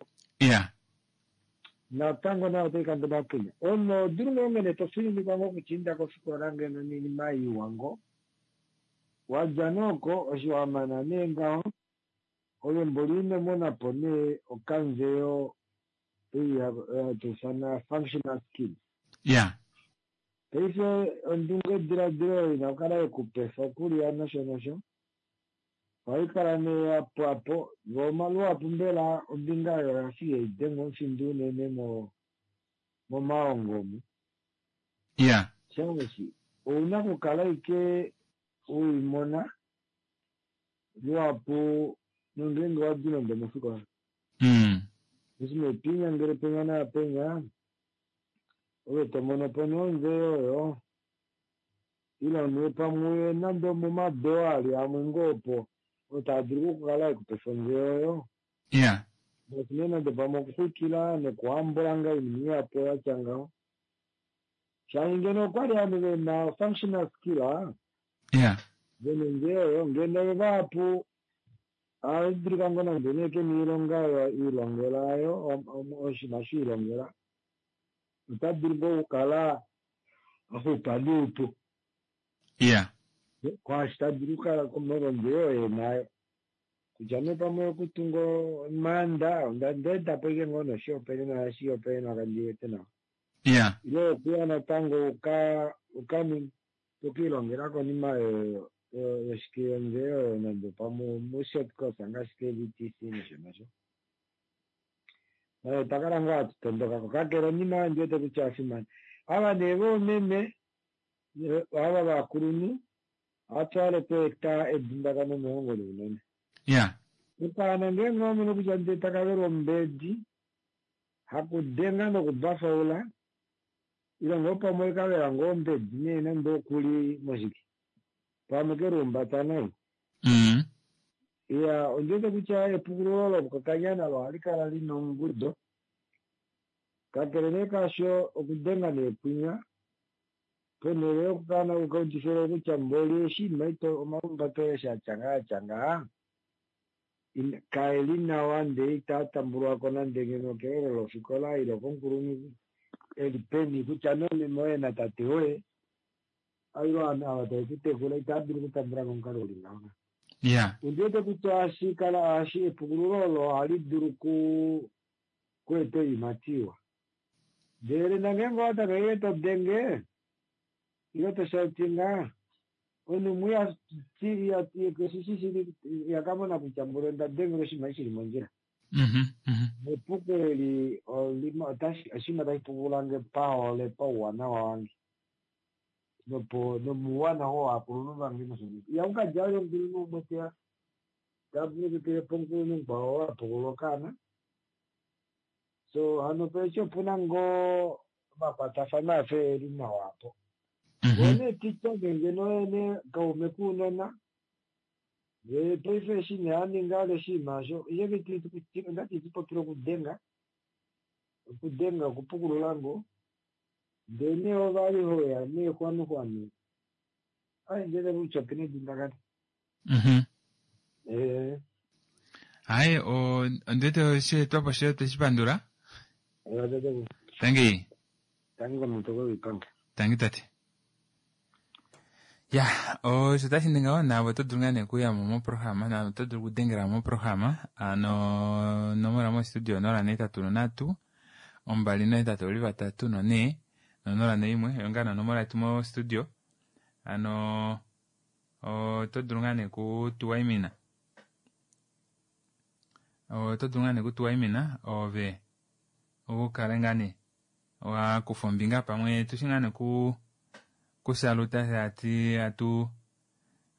Natango nayo otai kandula po. Omunhu oho dulu ngoo ngeno to fininikwa ngoo kutya inda kofikola ngeno noinima iwa ngoo. Wadja nee oko osho wamana nee ngaho ove mboli ino mona po nee okanzeyo ei hatu ifana functional skills. Paife ondunge diladilo oyo ina okukala yekupefa okulya nosho nosho. Ohai kala nee ya pwa po, vo luhapu mbela ombinga oyo oya fa ihai dengwa omufindo unene momahongo omu. Shaashi ouna okukala ashike weimona luhapu nongeenge wadi nande omofikola. Eshi nee twiinyangele penya naapenya, ove to mono po nee onzeyo oyo. Ile nee pamwe nande omomadoo ali amwe ngoo opo oo taa dulu okukala ekupefa onzeyo oyo. Ngaashi nee nande pamwe okuxwikila nokuhambula nga oinima ihapu yatya ngaho. Shaashi ngeno okwali ovanhu vena functional skill, vena onzeyo oyo, ngeno vahapu ohava dulika ngoo nande nee kena oilonga oyo ilongela oyo, oshinima osho ilongela, ota dulu ngoo okukala axupa noupu. Kwaashi ta dulu okukala molwonzeyo oyo enayo. Kutya nee pamwe okutunga omaanda, onda etapo ashike ngoo noshihopaenenwa oshihopaenenwa kandi wete nawa. Ile okuya natango uka ilongela konima yoshike yonzeyo oyo nande pamwe mu-short course ngaashi ke-VTC nosho nosho. Otwa kala ngoo hatu tondoka ko kakele onima oyo ndi wete kutya oya fimana. Ava nee voomeme, ava vakulunhu, ohatu hale okweeta edundakano mehongo lounona. Okaana ngeenge owamono kutya ndee taka velwa ombedi, hakudenga nokubafaula, ile ngoo pamwe kavela ngoo ombedi nee nande okuli moshike, pamwe keluumbata nai. Iya, ondi wete kutya epukululo lokokanyana olo ohali kala lina ongudo. Kakele nee kaasho okudenga neekwinya, ponhele yokukala ukaudifile kutya mboli oshinima ito omalumbato eshi atya ngaa atya ngaa, kaeli nawa ndee itaa tambulwako nande ngeno kelelo lofikola ile komukulunhu eli peni kutya nomeme oye natate woye ile ovanhu ava tave kutekula itaa dulu okutambula ko omukalo uli ngaho. Ondi wete kutya ohashi kala ohashi epukululo olo ohali dulu kueta oiimati iwa. Ndele nongeenge owa tameke to denge ile to shoutinga, omunhu umwe ihakamona kutya mboli onda dengela oshinima shili mondjila. Nepuko eli oshinima tashi pukulange pahole pauwanawa wange nopo nomuuwanawa wovakulunhu vange nosho nosho. Ihaku kadja vali omukulunhu umwe teya tavulu po omukulunhu mukwao oo apukulula okaana. So hano paife opuna ngoo omakwatafano afa eli nawa apo. Voo nee teacher ngeno yene kaume kuunona, yee paife eshi nee aninga ale oshinima osho, ondati itipopile okudenga, okudenga okupukulula ngoo, ndee nee ovali hoya nee xwanuxwanu, ai ndele kutya opena edundakano. Hai, ondiwete osheetwapo shoye tweshi pandula. Tangi. Tangi komutoko wiipange. Tangi tate. Ya, osho tashi ningi ngaho naave oto dulu ngaa nee okuyamo moprograma naave oto dulu okudengela moprograma hano onomola mostudio 083 283 4 no01 oyo ngaa nee onomola yetu mostudio hano oto dulu ngaa nee okutuwaimina oto dulu ngaa nee okutuwaimina ove ukale ngaa nee wakufa ombinga pamwe tushi ngaa nee ku kusaluta ati atu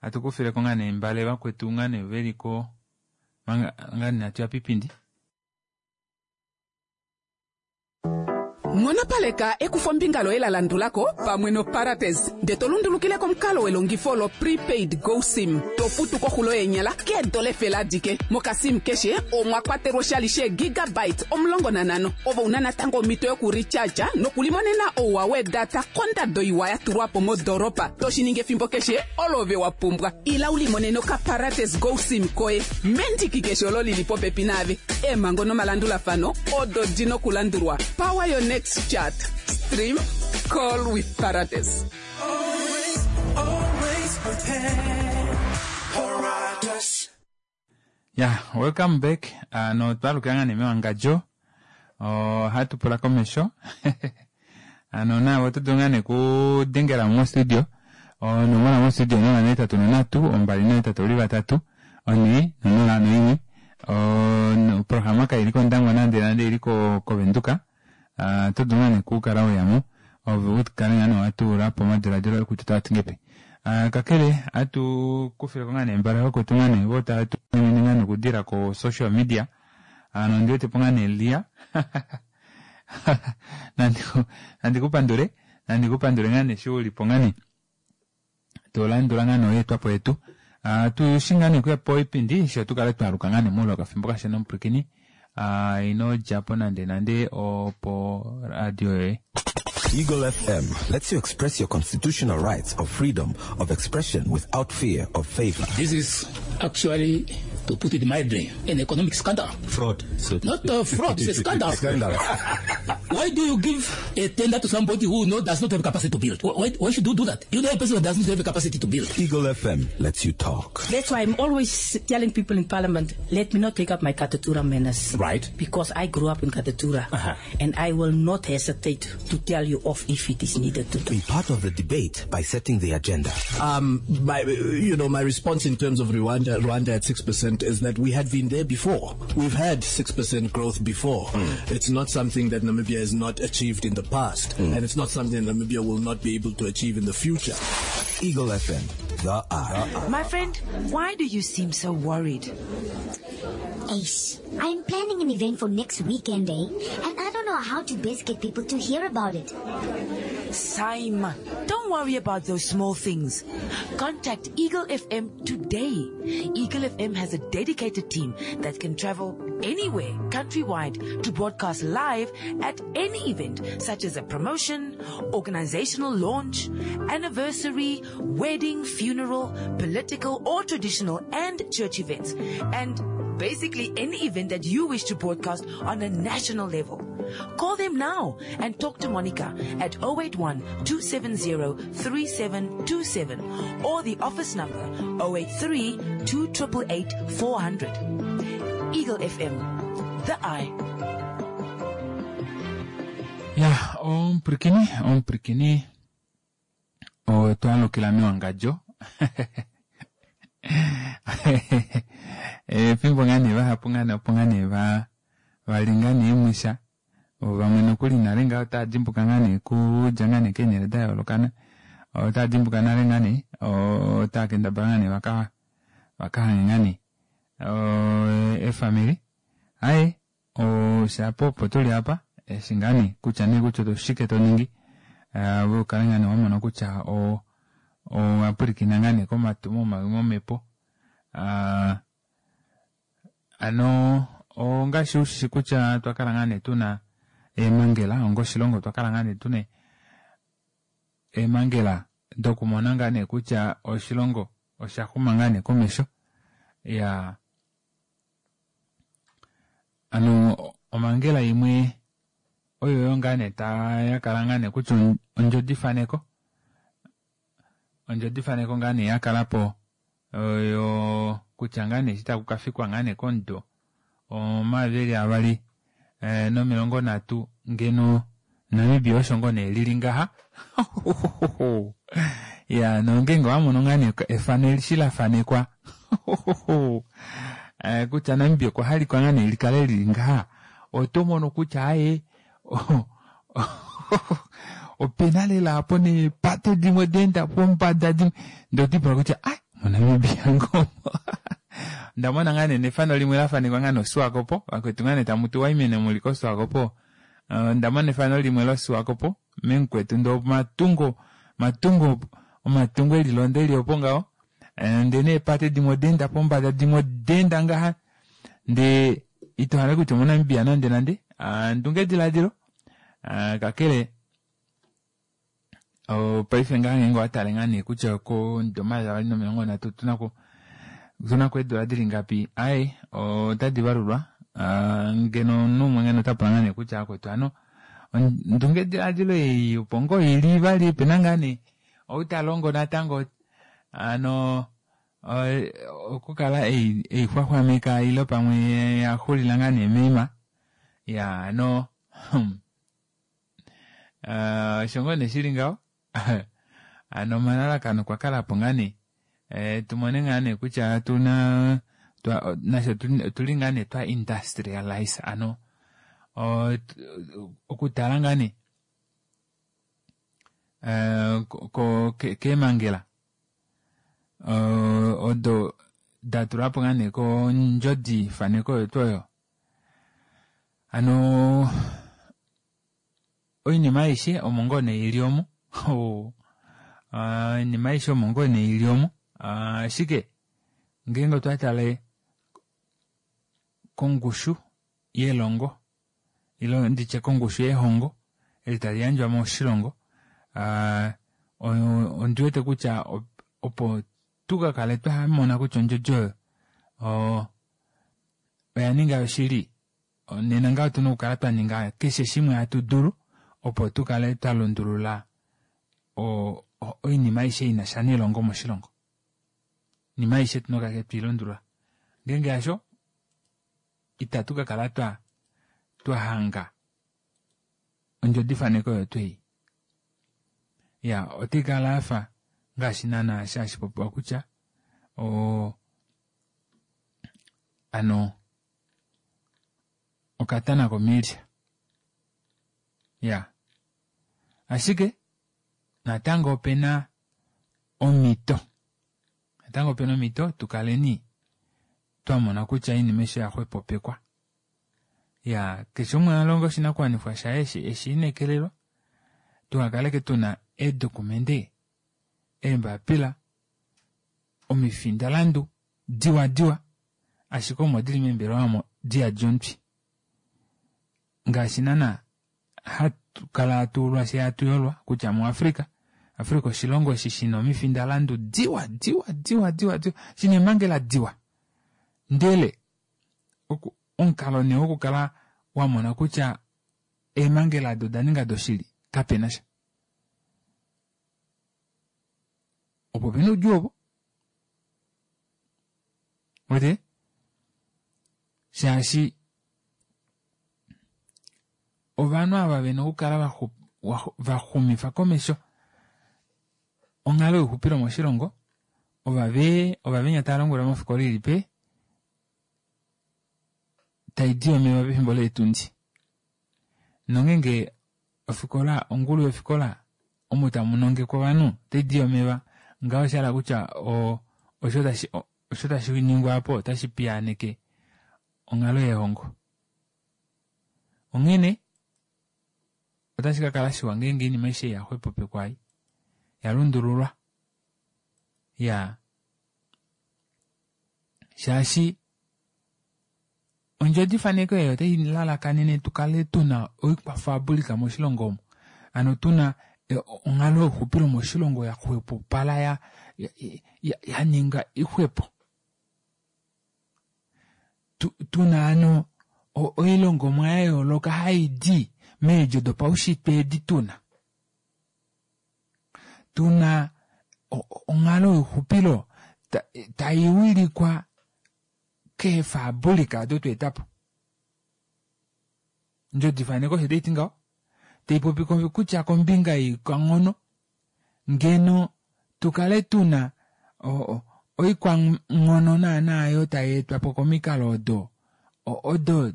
atukufileko ngaa nee mbale vakwetu ngaa nee veliko manga ngaa nee atuya piipindi. Nghonopaleka ekufombinga loye la landulako pamwe noParates nde to lundulukile komukalo welongifo lo prepaid GoSIM to futu koxulo yeenyala keedola efele adike. Mokasim keshe omwa kwatelwa oshali sheegigabyte 15 ove una natango omhito yokurecharge nokulimonena ouwa weedata kondado iwa ya tulwa po modoolopa to shi ningi efimbo keshe olo ove wa pumbwa. Ila u limonene okaParates GoSIM koye mendiki keshe olo lili popepi naave. Eemhango nomalandulafano odo di nokulandulwa. Power your next chat. Stream, call with Parates. Always, always prepared. Paratus. Ya, welcome back. Ano twalukila ngaa nee mewangadjo. Ohatu pula komesho. Ano nawe oto dulu ngaa nee okudengela mo studio. Onomola mo studio 083 283 4 001. Oprograma kaili kOndangwa nande nande ili kOvenduka. Oto dulu ngaa nee okukala weyamo ove ukale ngaa nee watula po omadiladilo oye kutya otava ti ngepi. Kakele atu kufileko ngaa nee mbala vakwetu ngaa nee vo tava tumine ngaa nee okudila ko social media. Ano ondi wetepo ngaa nee Lia. Nandi kupandule, nandi kupandule ngaa nee eshi ulipo ngaa nee tolandula ngaa nee oyeetwapo yetu. Tushi ngaa nee okuya poipindi sho tukale twaluka ngaa nee muule wokafimbo kashona omupwilikini. Ino djapo nande nande opo radio yoye. Eagle FM lets you express your constitutional rights of freedom of expression without fear of favor. This is actually, to put it mildly, an economic scandal. Fraud. So Not a fraud, it's a scandal. Scandal. Why do you give a tender to somebody who does not have capacity to build? Why should you do that? You know a person who does not have the capacity to build. Eagle FM lets you talk. That's why I'm always telling people in Parliament, let me not take up my Katutura manners. Right. Because I grew up in Katutura. And I will not hesitate to tell you off if it is needed to do. Be part of the debate by setting the agenda. My response in terms of Rwanda at 6% is that we had been there before. We've had 6% growth before. It's not something that Namibia has not achieved in the past, and it's not something that Namibia will not be able to achieve in the future. Eagle FM, the eye. My friend, why do you seem so worried? Ace, I'm planning an event for next weekend, And I don't know how to best get people to hear about it. Saima, don't worry about those small things. Contact Eagle FM today. Eagle FM has a dedicated team that can travel anywhere, countrywide, to broadcast live at any event, such as a promotion, organizational launch, anniversary, wedding, funeral, political or traditional and church events, and basically any event that you wish to broadcast on a national level. Call them now and talk to Monica at 081 270 3727 or the office number 083 288 400. Eagle FM, the eye. Ya, omupwilikini, omupwilikini, otwalukila mewangadjo. Efimbo ngaa nee vahapu ngaa nee opo ngaa nee vali ngaa nee mwisha. Vamwe nokuli nale ngaa otava dimbuka ngaa nee kudja ngaa nee keenhele da yoolokana. Otava dimbuka nale ngaa nee, otava kendabala ngaa nee vakahange ngaa nee, efamili. Aye, oshapo opo tuli apa, eshi ngaa nee kutya nee kutya oshike to ningi. Ove ukale ngaa nee wamona kutya owa pwilikina ngaa nee komatumo momhepo. Ano ongaashi ushishi kutya twakala ngaa nee tuna eemangela onga oshilongo, twakala ngaa nee tuna eemangela dokumona ngaa nee kutya oshilongo osha xuma ngaa nee komesho. Ya, ano omangela imwe oyo yo ngaa nee yakala ngaa nee kutya ondjodifaneko. Ondjodifaneko ngaa nee ya kala po oyo kutya ngaa nee eshi taku ka fikwa ngaa nee komudo 2030 ngeno Namibia osho ngoo nee lili ngaha. Ya, nongeenge owa mono ngaa nee efano eshi la fanekwa kutya Namibia okwa halikwa ngaa nee likale lili ngaha, oto mono kutya aye opena lela apo neepate dimwe daenda pombada dimwe, ndee otipula kutya ai moNamibia ngoo. Onda mona ngaa nee nefano limwe la fanekwa ngaa noSwakopo, vakwetu ngaa nee tamu tu waimene muli koSwakopo. Onda mona efano limwe loSwakopo memukwetu ndee omatungo matungo omatungo elilonda eli opo ngaho, ndee neepate dimwe odaenda pombada dimwe odaenda ngaha, ndee ito hale kutya omoNamibia nande nande. Ndunge ediladilo kakele paife ngaha ngeenge owatale ngaa nee kutya komudo 2030 otunako eedula dili ngapi, aye otadi valulwa. Ngeno omunhu umwe ngeno ota pula ngaa nee kutya akwetu hano ndunge ediladilo ei opo ngoo ili vali opena ngaa nee ou talongo natango ano okukala eixwaxwameka ile pamwe yaxulila ngaa nee meima. Ya ano osho ngoo nee shili ngaho. Ano omalalakano okwa kala po ngaa nee tumone ngaa nee kutya tuna nasho otuli ngaa nee twa industrialize ano okutala ngaa nee keemangela odo datulwapo ngaa nee kondjodi faneko oyo tuu oyo. Ano oinima aishe omo ngoo nee ili omo. Oinima aishe omo ngoo nee ili omo. Ashike ngeenge otwa tale kongushu yelongo ile nditye kongushu yehongo eli tali yandjwa moshilongo, ondi wete kutya opo tukakale twamona kutya ondjodi oyo oya ninga yoshili, nena ngaho otuna okukala twa ninga keshe shimwe hatu dulu opo tukale twa lundulula oinima aishe ina sha nelongo moshilongo. Oinima aishe tuna okukala twilundulula. Ngeenge hasho itatu kakala twa hanga ondjodifaneko oyo twei. Ya, otai kala yafa ngaashi naana hashi popiwa kutya ano okatana komilya. Ya, ashike natango opena omhito, natango opena omhito tukaleni twamona kutya oinima aishe oya xwepopekwa. Ya, keshe umwe alonga oshinakuwanifwa shaye eshiinekelelwa, tuhakaleke tuna eedokumente, eembapila, omifindalandu diwa diwa, ashike omo dili meembelewa omo diyadi omutwi. Ngaashi naana hatu kala hatu ulwa fye hatu yolwa kutya muAfrika, Afrika oshilongo eshi shina omifindalandu diwa diwa diwa diwa diwa, shina eemhangela diwa, ndele omukalo nee wokukala wamona kutya eemhangela ado oda ninga doshili kapena sha. Opo pena oudjuu opo wete, shaashi ovanhu ava vena okukala vaxumifa komesho onghalo youxupilo moshilongo, ova venya tava longelwa mofikola ilipe taidi omeva pefimbo leetundi. Nongeenge ofikola, ongulu yofikola omo tamu nongekwa ovanhu otaidi omeva, ngaho osha hala kutya osho tashi ningwa apo otashi piyaaneke onghalo yehongo. Onghene otashi kakala shiwa ngeenge oinima aishe ya xwepopekwa ai ya lundululwa. Ya, shaashi ondjodifaneko eyo otai lalakanene tukale tuna oikwafabulika moshilongo omo, ano tuna onghalo youxupilo moshilongo ya xwepopala, ya ninga ixwepo. Tuna ano oilongomwa ya yooloka hai di meedjo dopaushitwe edi tuna. Tuna onghalo youxupilo tai wilikwa keefabulika odo twa eta po. Ondjodifaneko osho taiti ngaho, tai popi kutya kombinga yoikwanghono ngeno tukale tuna oikwanghono naana oyo tai etwa po komikalo odo odo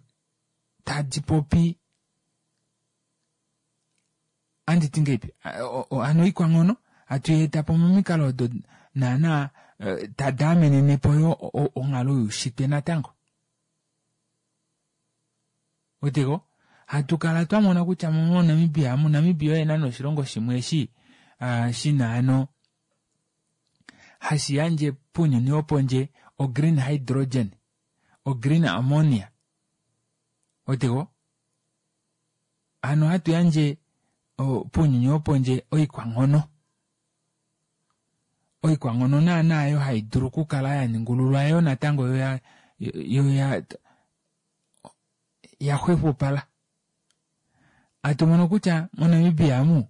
tadi popi anditi ngeipi hano oikwanghono hatu eta po momikalo odo naana tadi amenene po yo onghalo youshitwe natango. Weteko hatu kala twa mona kutya moNamibia, moNamibia oye nana oshilongo shimwe eshi shina hano hashi yandje pounyuni wopondje ogreen hydrogen, ogreen ammonia. Weteko hano hatu yandje pounyuni wopondje oikwanghono. Oikwanghono naana oyo hai dulu okukala ya ningululwa yo natango yo ya xwepopala. Hatu mono kutya moNamibia amu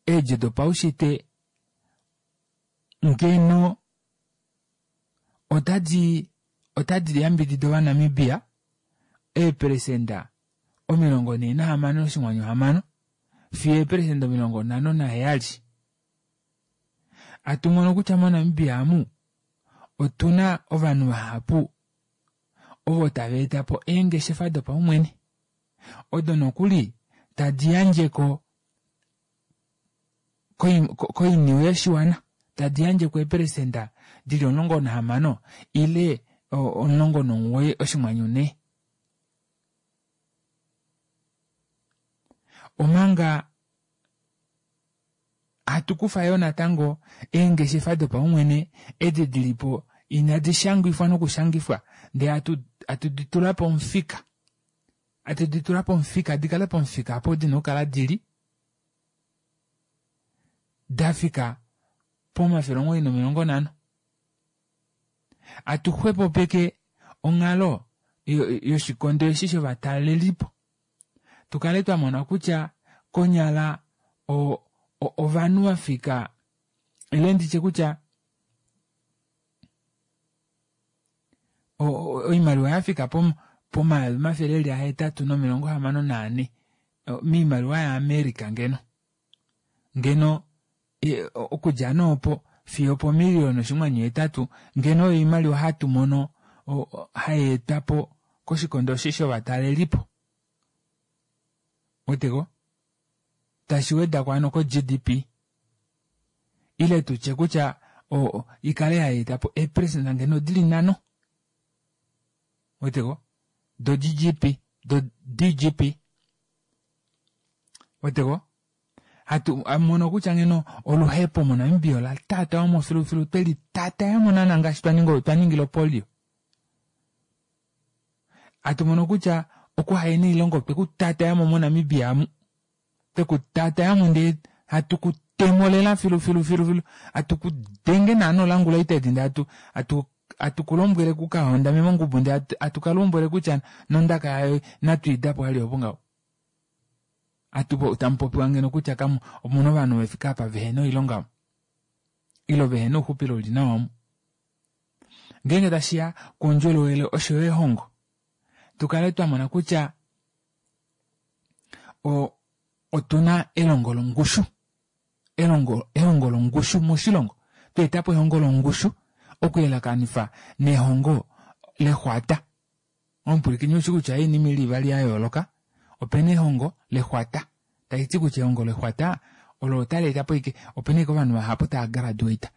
eedjo dopaushitwe ngeno otadi yambidida Ovanamibia eeperesenda 46.6 fiyo eeperesenda 57. Hatu mono kutya moNamibia amu otuna ovanhu vahapu ovo tava eta po eengeshefa dopaumwene odo nokuli tadi yandjeko koiniwe yoshiwana, tadi yandjeko eeperesenda dili 16 ile 19.4. Omanga hatu kufa yo natango eengeshefa dopaumwene edi dilipo inadi shangifwa nokushangifwa, ndee hatu di tula pomufika. Hatu di tula pomufika, di kale pomufika apo dina okukala dili dafika po950. Hatu xwepopeke onghalo yoshikondo eshi shovatalelipo. Tukale twa mona kutya konyala ovanhu vafika ile nditye kutya oimaliwa yafika po864 miimaliwa yaAmerica ngeno. Ngeno okudja noopo fiyo po1.8 million ngeno oyo oimaliwa hatu mono hai etwa po koshikondo eshi shovatalelipo. Weteko tashi wedako hano ko GDP ile tutye kutya ikale hai eta po eeperesenda ngeno dili 5. Weteko do GDP do DGP. Weteko hatu mono kutya ngeno oluhepo moNamibia ola tata omo filufilu tweli tata ya monana ngaashi twa ningila polio. Hatu mono kutya okuhaena oilongo twe kutata yamo moNamibia amu. Twe kutata yamo ndee hatu kutemolela filufilu filufilu. Hatu kudenge naano langula itedi ndee hatu kulombwele kukahondame mongubu ndee hatu kalombwele kutya nondaka yayo natwiidapo hali opo ngaho. Hatu tamupopiwa ngeno kutya kamu omuna ovanhu vefika apa vehena oilonga ilo vehena ouxupilo uli nawa omu. Ngeenge tashiya koundjolowele osho yo ehongo, tukale twa mona kutya otuna elongo longushu, ehongo longushu moshilongo. Twa eta po ehongo longushu okuyelakanifa nehongo lexwata. Omupwilikini ushi kutya oinima ili ivali ya yooloka. Opena ehongo lexwata, taiti kutya ehongo lexwata olo otali eta po ike opena ike ovanhu vahapu tava graduate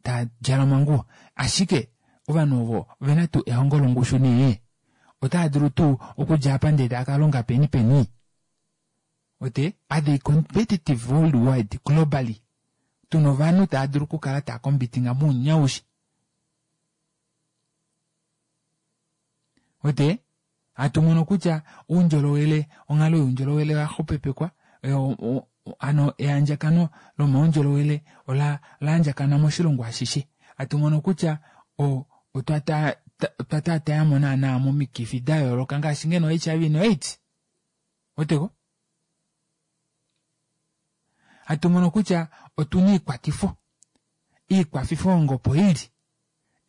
tava djala omanguwo, ashike ovanhu ovo ovena tuu ehongo longushu nee otava dulu tuu okudja apa ndee tava kalonga peni peni. Ote are they competitive worldwide globally? Tuna ovanhu tava dulu okukala tava kombitinga mounyaushi. Ote hatu mono kutya oundjolowele, onghalo youndjolowele oya xupepekwa, hano eandjakano lomaundjolowele ola andjakana moshilongo ashishe. Hatu mono kutya otwa taatayamo naana momikifi da yooloka ngaashi ngeno HIV no AIDS. Oteko? Hatu mono kutya otuna iikwatifo. Iikwafifo opo ili.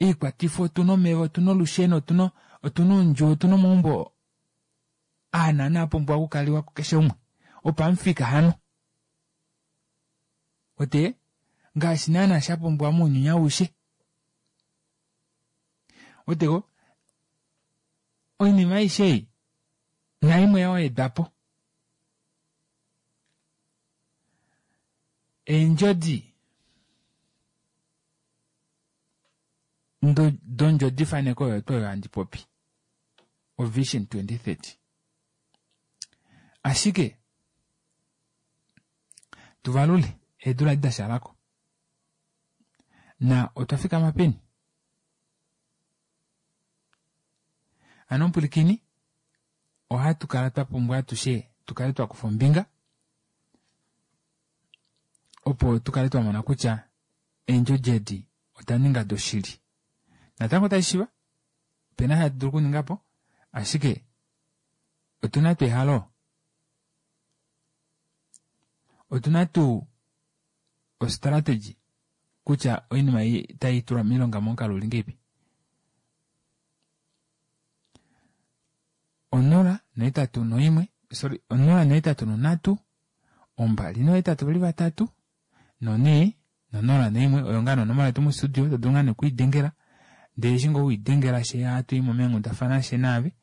Iikwatifo otuna omeva, otuna olusheno, otuna otuna oundjuwo, otuna omaumbo aa naana apumbwa okukaliwa kukeshe umwe. Opamufika hano. Ote ngaashi naana shapumbiwa mounyuni aushe. Oteko oinima aishe ei naimwe ya wedwapo. Eendjodi dondjodifaneko oyo tuu oyo handi popi. O Vision 2030. Ashike tuvalule eedula edi dashalako. Na otwa fikama peni? Ano omupulikini ohatu kala twa pumbwa atushe tukale twa kufa ombinga opo tukale twa mona kutya eendjodi edi oda ninga doshili. Natango otashi shiva opena hatu dulu okuningapo ashike otuna tuu ehalo, otuna tuu ostrategy kutya oinima ei tai tulwa moilonga momukalo uli ngeipi. 0 8 1 sorry 0 8 3 2 8 3 4 no0 1 oyo ngaa nonomola yetu mostudio to dulu ngaa nokuidengela ndele eshi ngoo widengela she hatu i mo meenghundafana she naave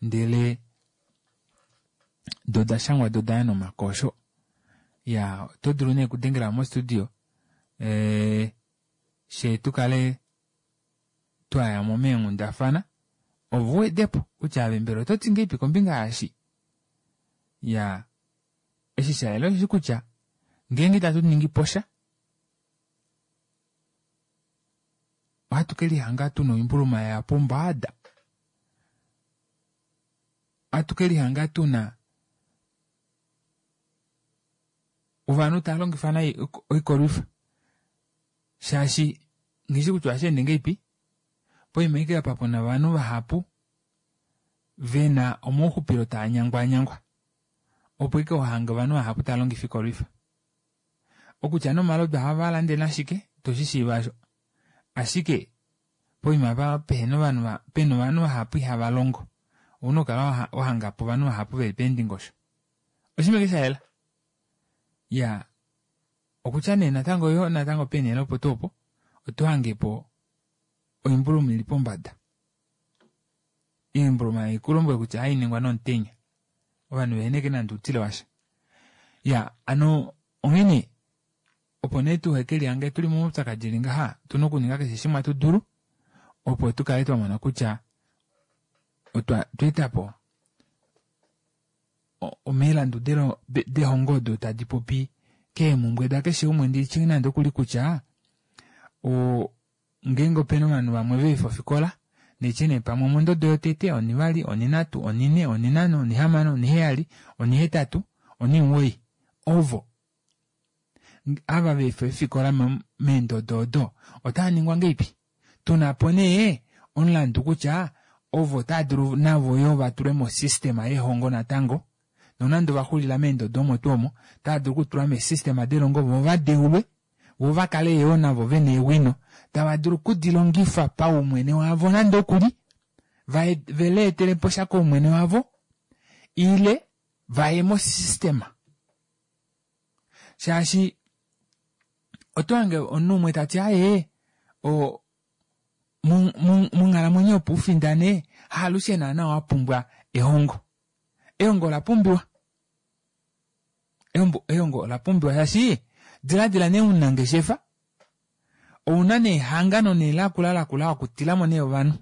ndele do da shangwa do daya nomakosho. Ya oto dulu nee okudengela mostudio she tukale twayamo meenghundafana ove uwedepo kutya ave mbela oto ti ngeipi kombinga yaashi. Ya eshi shayela osheshi kutya ngeenge itatu ningi posha ohatu ke lihanga tuna oimbuluma ya pombada. Ohatu ke lihanga tuna ovanhu tava longifa nai oikolwifa shaashi nghishi kutya ohashi ende ngeipi poima ike apa puna ovanhu vahapu vena omauxupilo taa nyangwanyangwa opo ike ohange ovanhu vahapu tava longifa oikolwifa. Okutya nomalodu ohava lande nashike toshi shiiva asho. Ashike poima apa pehena ovanhu pena ovanhu vahapu ihava longo ouna okukala wahangapo ovanhu vahapu veli peendingosho. Oshinima ike shayela. Ya okutya nee natango yo natango peenhele opo tuu opo oto hangepo oimbuluma ili pombada. Oimbuluma ikulombwele kutya hainingwa nomutenya. Ovanhu veheneke nande outile washa. Ya ano onghene opo nee tuheke lihange tuli momaupyakadi eli ngaha tuna okuninga keshe shimwe hatu dulu opo tukale twa mona kutya otwa etapo omilandu dehongo odo tadi popi keemhumbwe dakeshe umwe nditye nande okuli kutya ngeenge opena ovanhu vamwe veefa ofikola netye nee pamwe omondodo yotete, onivali, oninhatu, onine, oninhano, onihamano, oniheyali, onihetatu, onimuwoi ovo ava veefa efikola meendodo odo otava ningwa ngeipi. Tunapo nee omulandu kutya ovo otava dulu navo yo vatulwe mosystema yehongo natango nonande ovaxulila meendodo omo tuu omo otava dulu okutulwa meesystema delongo vo vadeulwe vo vakale yoo navo vena eewino tava dulu okudilongifa paumwene wavo nande okuli veleetelepo sha koumwene wavo ile vaye mosystema. Shaashi oto hange omunhu umwe tati aye monghalamwenyo opo ufindane haalushe naana wapumbwa ehongo. Ehongo ola pumbiwa. Ehongo ola pumbiwa shaashi diladila nee omunangeshefa ouna nee ehangano nee lakula lakula wakutilamo nee ovanhu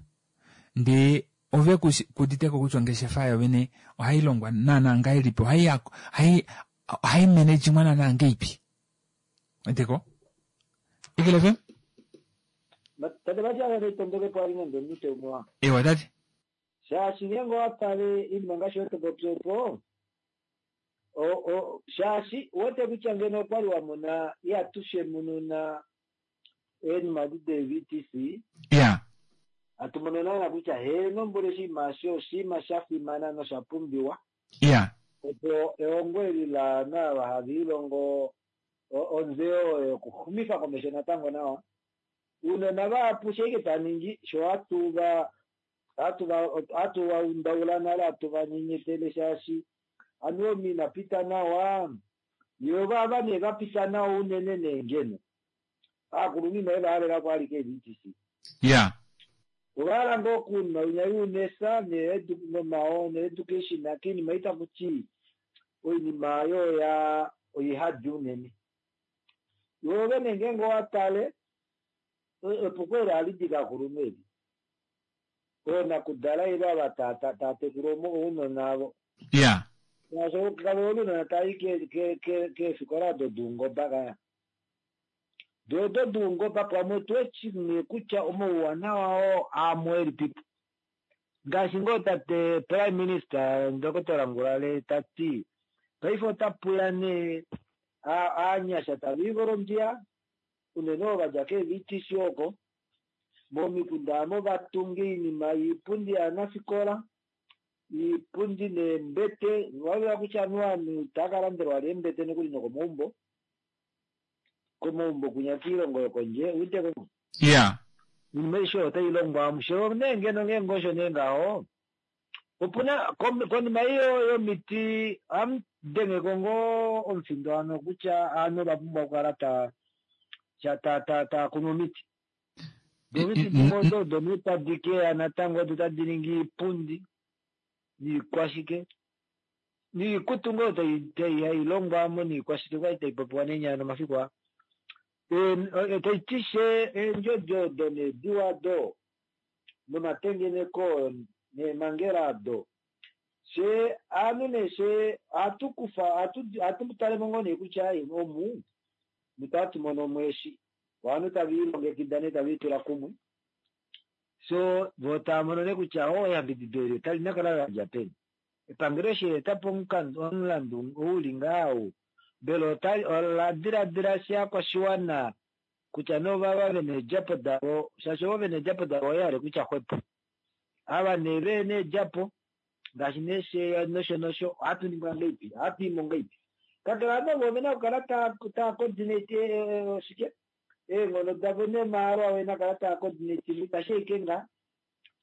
ndee ove kuditeko kutya ongeshefa yovene ohailongwa naana ngahelipi ohai managingwa naana ngeipi. Weteko? Eagle FM? Tate Matias itondokepo ali nande omunute umwe wa. Ewa tate. Shaashi ngeenge owatale oinima ngaashi oyo topopi opo shaashi uwete kutya ngeno okwali wamona ihatu shemununa eenima edi de-VTC Ya. hatu mono naana kutya heeno mboli oshinima eshi oshinima sha fimana nosha pumbiwa Ya. opo ehongo eli laana ava have ilongo Ontseyo oyo yokuhumitha komesho natango nawa. Uunona vahapu sho ike ta ningi sho hatu va hatu va hatu va undaula nale hatu va nyenyetele shaashi anuwa omunhu ina pita nawa yo vava nee va pita nawa unene nee ngeno aakulunhu inaye va halela ko alike eVTC. Ya. Ova hala ngoo okunwa oinya yoUNESA needucation kiinima ei taku ti oinima oyo oya oihadi unene. Yo vene ngeenge owa tale epuko eli ohali di kovakulunhu eli. Oonakudala ile ava tava tekula ounona avo. Ya. Shaashi kave hole ounona tava i keefikola odo doungoba kaya. Doo odo doungoba pamwe otu weshi nee kutya omauwanawa oo aamo elipipo. Ngaashi ngoo tate Prime Minister Ndokotola Ngurare ta ti paife ota puya nee aanyasha tava i volontia unene ovo va dja keeVTC oko momikunda aamo va tunge oinima yoipundi yaanafikola, iipundi neembete. Owa kutya anuwa ovanhu itava ka landelwa vali eembete nokuli nokomaumbo, komaumbo kunya kiilongo yokondje uweteko. Ya. Iinima aishe oyo otai longwa amushe nee ngeno ngeenge osho nee ngaho opuna konima iyo yomiti ohamu dengeko ngoo omufindo hano kutya ovanhu ova pumbwa okukala ta ta ta tava kunu omiti. Omiti dimwe odo odo nee tadi keya natango odo tadi ningi iipundi niikwashike niikutu ngoo tai hai longwa mo niikwashike kwali tai popiwa neenyala nomafiku aa. Tai ti she eendjodi odo neediwa ado nomatengeneko neemhangela ado she aanhu nee she ohatu kufa ohatu talemo ngoo nee kutya omu mutatu mono mweshi ovanhu tave ilongekida nee tave itula kumwe so vo tava mono nee kutya o eyambidido eli otali nakala ladja peni. Epangelo eshi la etapo omulandu ou li ngaha ou mbela ola diladila shakwashiwana kutya novava vena eedjapo davo shaashi ovo vena eedjapo davo oye kutya xwepo ava nee vehena eedjapo ngaashi nee she nosho nosho ohatu ningwa ngahelipi ohatu imo ngahelipi kakele ovanhu ovo ovena okukala taa coordinate shike eenghono davo nemahalo avo ena kala taa coordinate itashi eke ngaa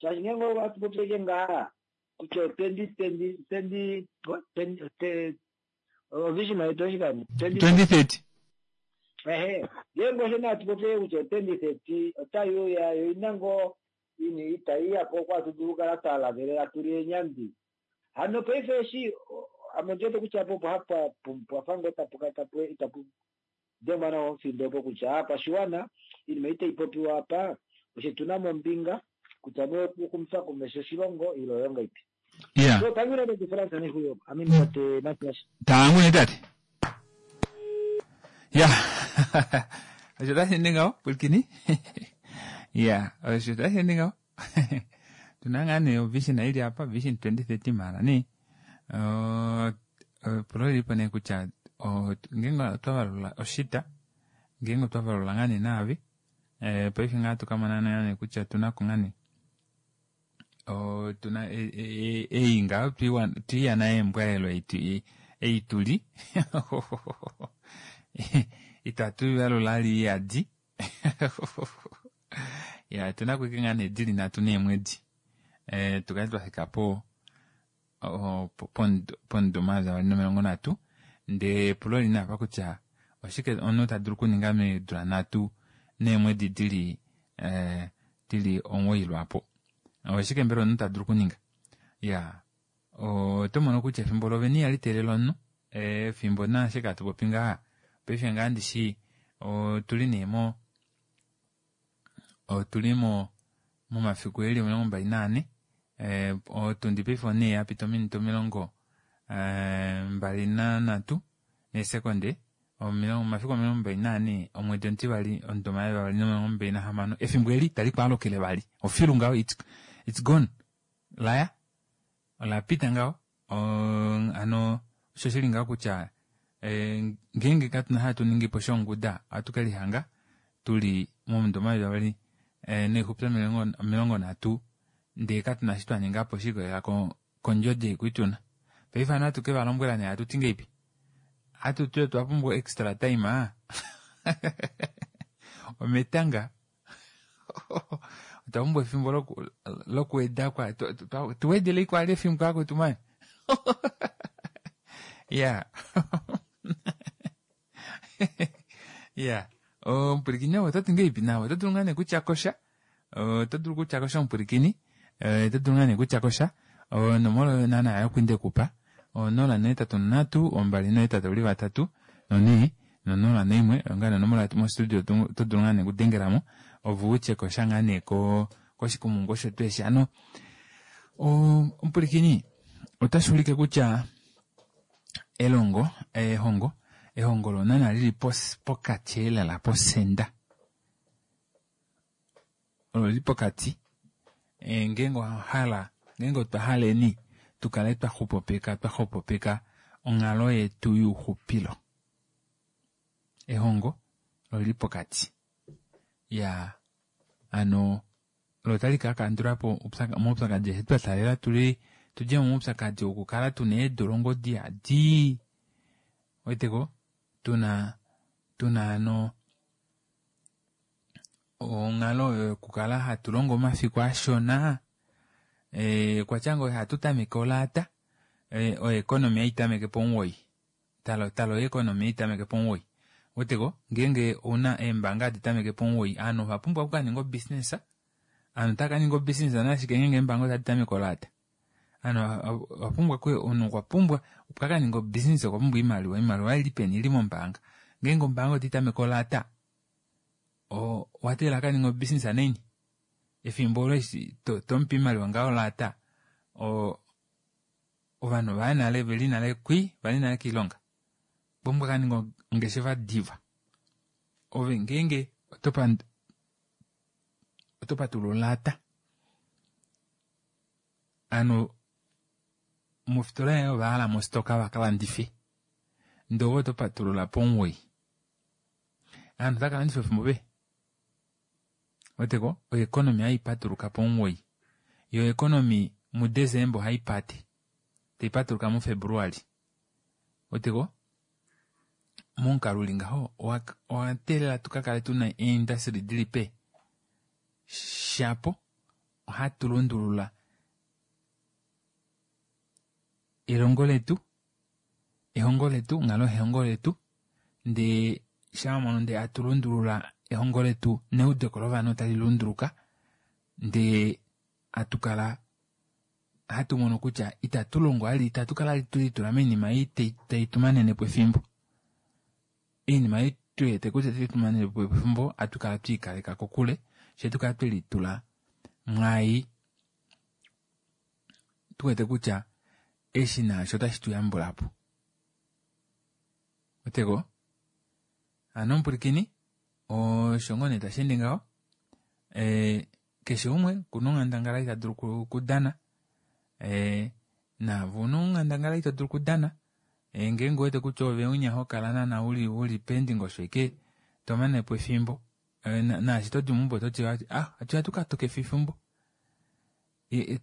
shaashi ngeenge ohatu popi eke ngaa kutya twenty twenty twenty twenty ovision yetu oshikani 2030. Ehe, ngeenge osho nee hatu popi kutya 2030 otai uya yo ina ngoo ini itai yapo oko hatu dulu okukala twa lavelela tuli eenyandi. Hano paife eshi ame ondi wete kutya opo hapa pwafa ngoo tapu itapu dengwa nawa omufindo opo kutya aakwashiwana oinima ei tai popiwa apa oshe tuna mo ombinga kutya nee okuxumifa komesho oshilongo ile oyo ngaipi. Ya. So tangu tate Frans Nehuyo, I mean tate Matias. Tangu nee tate. Ya. Osho tashi ende ngaho pwilikini. Ya, osho tashi ende ngaho. Tuna ngaa nee ovision ili apa vision 2030 mara nee. Epulo lilipo nee kutya ngeenge otwa valula oshita ngeenge otwa valula ngaa nee naavi paife ngaa tukamona nee kutya otuna ko ngaa nee otuna ei ngaho twiiyana eembwaelo ei tuli itatu valula li iyadi ya otuna ko ike ngaa nee dili nhatu neemwedi tukale twafika po pomudo 2030 ndee epulo oli nee apa kutya oshike omunhu ta dulu okuninga meedula nhatu neemwedi dili dili 9 lwaapo. Oshike mbela omunhu ta dulu okuninga? Ya, oto mono kutya efimbo lovene ihali teelele omunhu efimbo naashike hatu popi ngaha paife ngaa ndishi otuli nee mo otuli mo momafiku eli 24 otundi paife onhee yapita ominute 23 neesekonde omafiku 24 omwedi omutivali omudo 2026 efimbo eli itali kwaalukile vali ofilu ngaho it's gone laya ola pita ngaho hano osho shili ngaho kutya ngeenge katuna hatu ningi po shonguda ohatu ke lihanga tuli momudo 2030 ndee katuna shi twa ninga po shikolela kondjodi ei tuna. Paife hano hatu ke va lombwela nee hatu ti ngeipi hatu ti otwa pumbwa extra time. Ometanga. Otwa pumbwa efimbo lokuweda kwa tu wedele kwali efimbo akwetu mani. Ya. Ya. Omupwilikini oto ti ngeipi nawe? Oto dulu ngaa nee kutya kosha. Oto dulu kutya kosha omupwilikini. Oto dulu ngaa nee kutya kosha. Onomola oyo naana yokwindekupa. 083 283 4 no01 oyo ngaa nee onomola yetu mostudio oto dulu ngaa nee okudengelamo ove utye kosha ngaa nee koshikumungu osho tuu eshi. Hano omupwilikini otashi ulike kutya elongo ehongo ehongo olo naana lili pokati elela posenda olo lili pokati ngeenge owahala ngeenge otwa haleni tukale twaxupopeka twaxwepopeka onghalo yetu youxupilo ehongo olili pokati ya hano olo otali ka kandula po omaupyakadi eshi twa taalela tuli tudje momaupyakadi okukala tuna eedolongo diyadi weteko tuna tuna hano onghalo oyo yokukala hatu longo omafiku ashona kwatya ngoo ihatu tameke olaata oeconomy haitameke pomuwoi talo talo oeconomy haitameke pomuwoi weteko ngeenge ouna eembanga hadi tameke pomuwoi ovanhu ova pumbwa okukaninga obusiness ovanhu otava kaninga obusiness nashike ngeenge eembanga otadi tameke olaata ovanhu ova pumbwa omunhu okwa pumbwa opo akaninge obusiness okwa pumbwa oimaliwa oimaliwa ili peni ili mombaanga ngeenge ombaanga otai tameke olaata owa teelela akaninge obusiness naini efimbo olo eshi tomupe oimaliwa ngaho olaata ovanhu ovaya nale veli nale kwi vali nale koilonga pumbwa kaninga ongeshefa diva ove ngeenge oto patulula olaata hano mofitola yaye ova hala mostoka vakalandife ndee ove oto patulula pomuwoi aanhu otava kalandifa efimbo pe weteko oeconomy haipatuluka pomuwoi yo economy muDecember ohaipate taipatuluka muFebruary weteko momukalo uli ngaho owa teelela tukakale tuna eindustry dili pe shapo ohatu lundulula elongo letu ehongo letu onghalo yehongo letu ndee shawamono ndee hatu lundulula ehongo letu neudeko lovanhu otali lunduluka ndee hatu kala hatu mono kutya itatu longo ali itatu kala tulitula moinima ei tai tumanenepo efimbo oinima ei tuwete kutya otai tumanenepo efimbo hatu kala twiikaleka kokule fyee tukala twelitula mwaai tuwete kutya eshi naasho otashi tu yambulapo oteko hano omupwilikini osho ngoo nee tasheende ngaho keshe umwe okuna onghandangala ita dulu okudana naave una onghandangala ito dulu okudana ngeenge uwete kutya ove unya hokala naana uli peendingosho ashike tomanepo efimbo naashi todi meumbo ototi ah atuya tukatokefe efimbo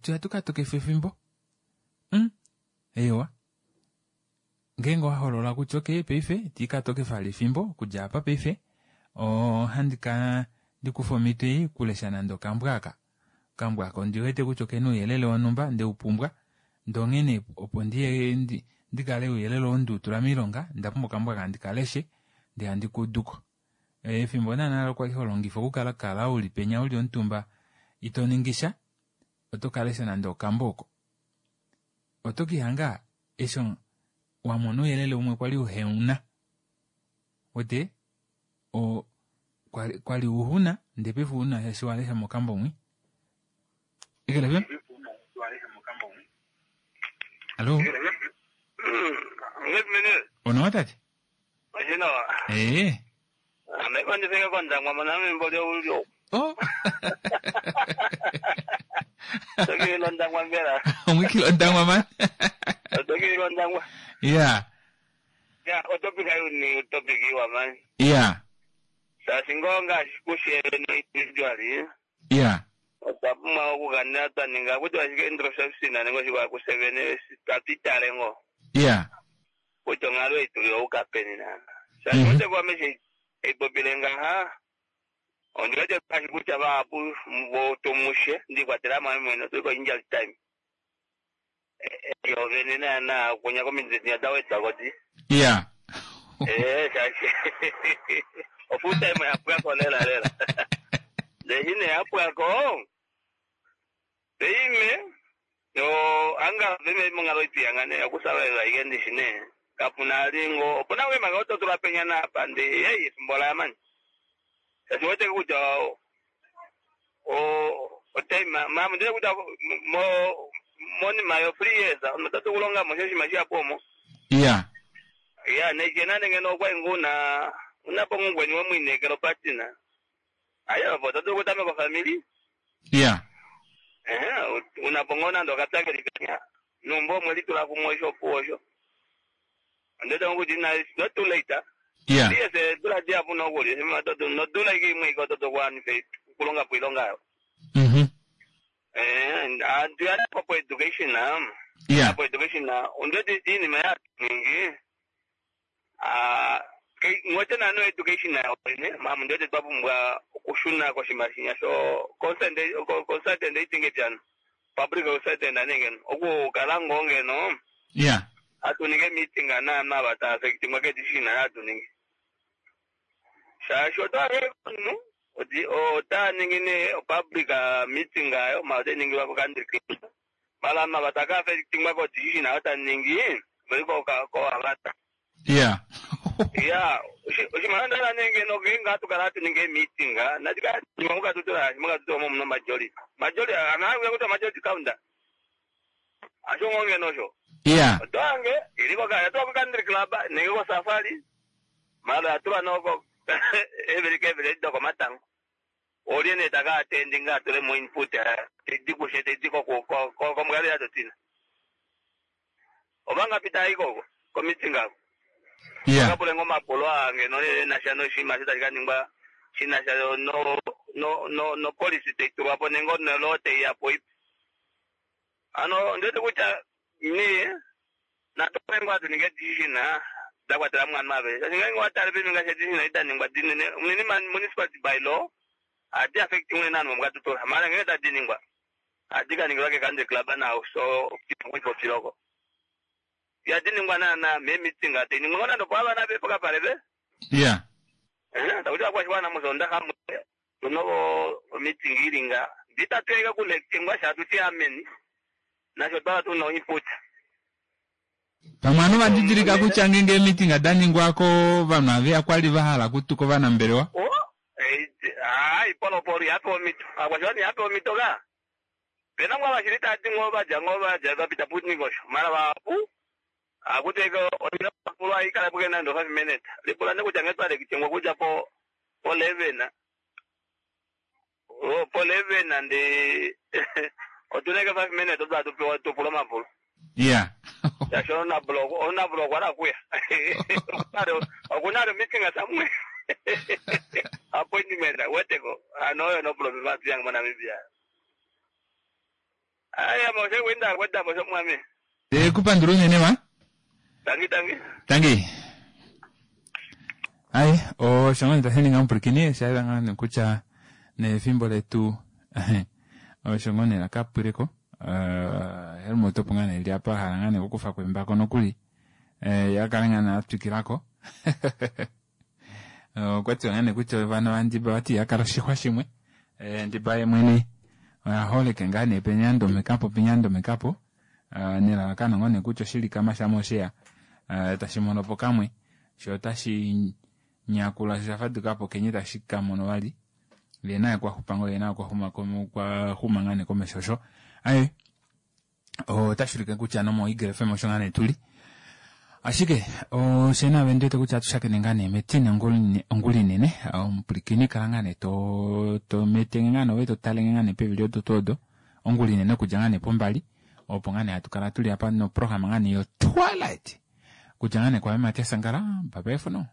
tuya tukatokefe efimbo eewa ngeenge owaholola kutya okey paife itiikatokefa vali efimbo okudja apa paife ohandi ka ndikufe omhito ei okulesha nande okambo aka okambo aka ondiwete kutya okena ouyelele wonhumba ndeupumbwa ndee onghene opo ndiye ndikale ouyelele oo ndiutula moilonga onda pumbwa okambo aka ndikaleshe ndee handi kuuduko efimbo naana olo kwali holongifa okukala kala uli penya uli omutumba ito ningisha oto kalesha nande okambo oko oto kihanga eshi wamona ouyelele umwe kwali uheuna wete kwali uhuna ndee paife ouna shaashi walesha mokambo mwi Ekelefem Allo Onawa tate Ee Oh Omwikile Ondangwa man Yeah Ya, otopic ayi topic iwa man. Yeah Shaashi ngoo ngaashi kushe individually Yeah otwa pumbwa okukanena twa ninga kutya ashike introspection nenge oshiwa kusevene tatu itale ngoo Yeah kutya onghalo ei tuli ouka peni naana. Shaashi otekuwa meshi Eipopile ngaha ondi wete ngaashi kutya vahapu votomushe ndikwatela mo ame mwene otuli ko-injury time. Yo vene naana kunya kominute da wedwako di. Ya. Shaashi o-full time yapwako lela lela. Ndee nee yapwako peime yo anga veme monghalo ituyanga nee okusalalela ike ndishi nee kapuna lingo opuna wemanga ototula penya napa ndi ei efimbo laya mani. Shaashi wete kutya o otime mama ndile kutya mo monima yo 3 years otatu kulonga mo shoshinima shihapu omo. Ya. Ya nechena nenge okwa nguna unapo ngungweni wemwinekelo patina. Ayo po tatu kutameka ofamily. Ya. Unapo ngona ndo kapya keli penya. Numbo mweli tula kumwe osho pu osho. Ndete ngokuti na it's not too late. Ya. Yes, tula dia puno kuli. No tula imwe iko toto kwani fe kulonga puilonga yo. Antu ya po education na. Ya. Po education na ondete iinima ya ningi. Ngwete nano education na ine mama ndete twapumbwa okushuna koshimashinya sho consent consultant itinge pyano. Public consultant anenge okukala ngongeno Ya. atuninge meeting ana mabata affecting ke decision atuninge. Shaashi otwa nu oti ota ningi ne public meeting ayo ma ote ningilwa ko country club. Mala mabata ka affecting ko decision ayo ta ningi veli ko ka ko avata. Ya. Ya, oshimaliwa ndala nenge no genga tukala tuninge meeting na tika muka tutura muka tutura mo muno majority. Majority ana kuta majority counter. Asho ngonge nosho. Ya. Otwange iliko kaya tuwa ku country club nenge ko safari. Mala atuwa noko every every doko matango. Olye ne taka attending atule mo input tedi kushe tedi ko ko ko ko mgali atotina. Obanga pita iko ko meeting ako. Ya. Kapule ngoma polo ange no national shima sita kaningwa shina sha no no no no policy te tulwa po nengo no lote ya po. Ano ndete kutya ni na topengwa tuninge decision dakwatela mwana mave. Ninga ngwa tale pe ninga decision ita ningwa dinene munini municipality by law adi affecting unene nanu mukatutola mara ngeke tadiningwa. Adi kaningwa ke country club na so kipo piloko. Ya diningwa na na me meeting ate ningwa na ndo kwa bana be poka pale be. Ya. Takuti akwashwana muzonda hamwe tunovo meeting ilinga nditatweka kulektingwa shatu ameni nasho twala tuno input. Pamwe anu vadidilika kutya ngenge meeting adaningwako vanhu aveya kwali vahala kutuka ovanambelewa. Oh, ipolopolo yape omito akwashwana yape omito ka. Pena ngwa vashiri tati ngoba ja ngoba ja vapita putnikosho mara vapu akuteka onira pulwa ikala puke nando 5 minutes. Lipula ne kutya ngetwale kichengwa kuja po 11. Oh, po 11 andi otuneke 5 minutes otwa tupewa tupula mapulo. Ya. Yasho na blog, ona blog wala kuya. Okunaro meeting asamwe. Appointment weteko. Ano no problem batu yang Namibia. Aya mose wenda kwenda mose mwami. Kupandula unene ma. Tangi tangi. Tangi. Ai, osho ngoo tashi omupwilikini osha ngaa nee kutya nefimbo letu osho ngoo nee lakapwileko. Helmut opo ngaa nee eli apa hala ngaa nee okukufa kwembako nokuli. Yakale ngaa nee atwikilako. Okwa tiwa ngaa nee kutya ovana vandiba vati yakala oshixwa shimwe. Ndiba ye mwene oya holeke ngaa nee penyandomekapo penyandomekapo. Nelalakano ngoo nee kutya oshilikama shamosheya tashi mono po kamwe sho otashi nyakula sho shafadukapo kenye tashi kamono vali. Ye naye kwaxupa ngoo ye naye kwahuma ngaa nee komesho osho. Ai otashi ulike kutya nomo Eagle FM osho ngaa nee tuli. Ashike oshena vendete kutya atushakene ngaa nee metine ongula inene omupwilikini kala ngaa nee to metenge ngaa nee ove to talenge ngaa nee pevi lyodo ongula inene okudja ngaa nee pombali opo ngaa nee hatu kala tuli apa noprograma ngaa nee yo Twilight kudja ngaa nee kwa Matias Sankara bye bye for now.